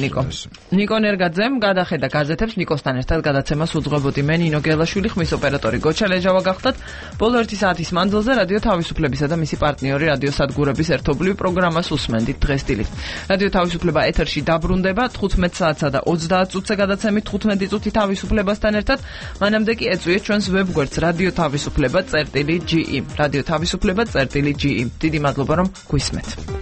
ნიკო ნერგაძემ გადახედა გაზეთებს ნიკოსთან ერთად გადაცემას უძღვებოდი მე ნინო გელაშვილი ხმის ოპერატორი გოჩა ლეჟავა გახდათ ბოლო 1 საათის მანძილზე რადიო თავისუფლებისა და მისი პარტნიორი რადიო სადგურების ერთობლივ პროგრამას უსმენდით დღეს დილით რადიო თავისუფლება ეთერში დაბრუნდება 15 საათსა და 30 წუთზე გადაცემით 15 წუთი თავისუფლებასთან ერთად მანამდე კი ეწვიეთ ჩვენს ვებგვერდს რადიო თავისუფლება.ge რადიო თავისუფლება.ge დიდი მადლობა რომ გვისმენთ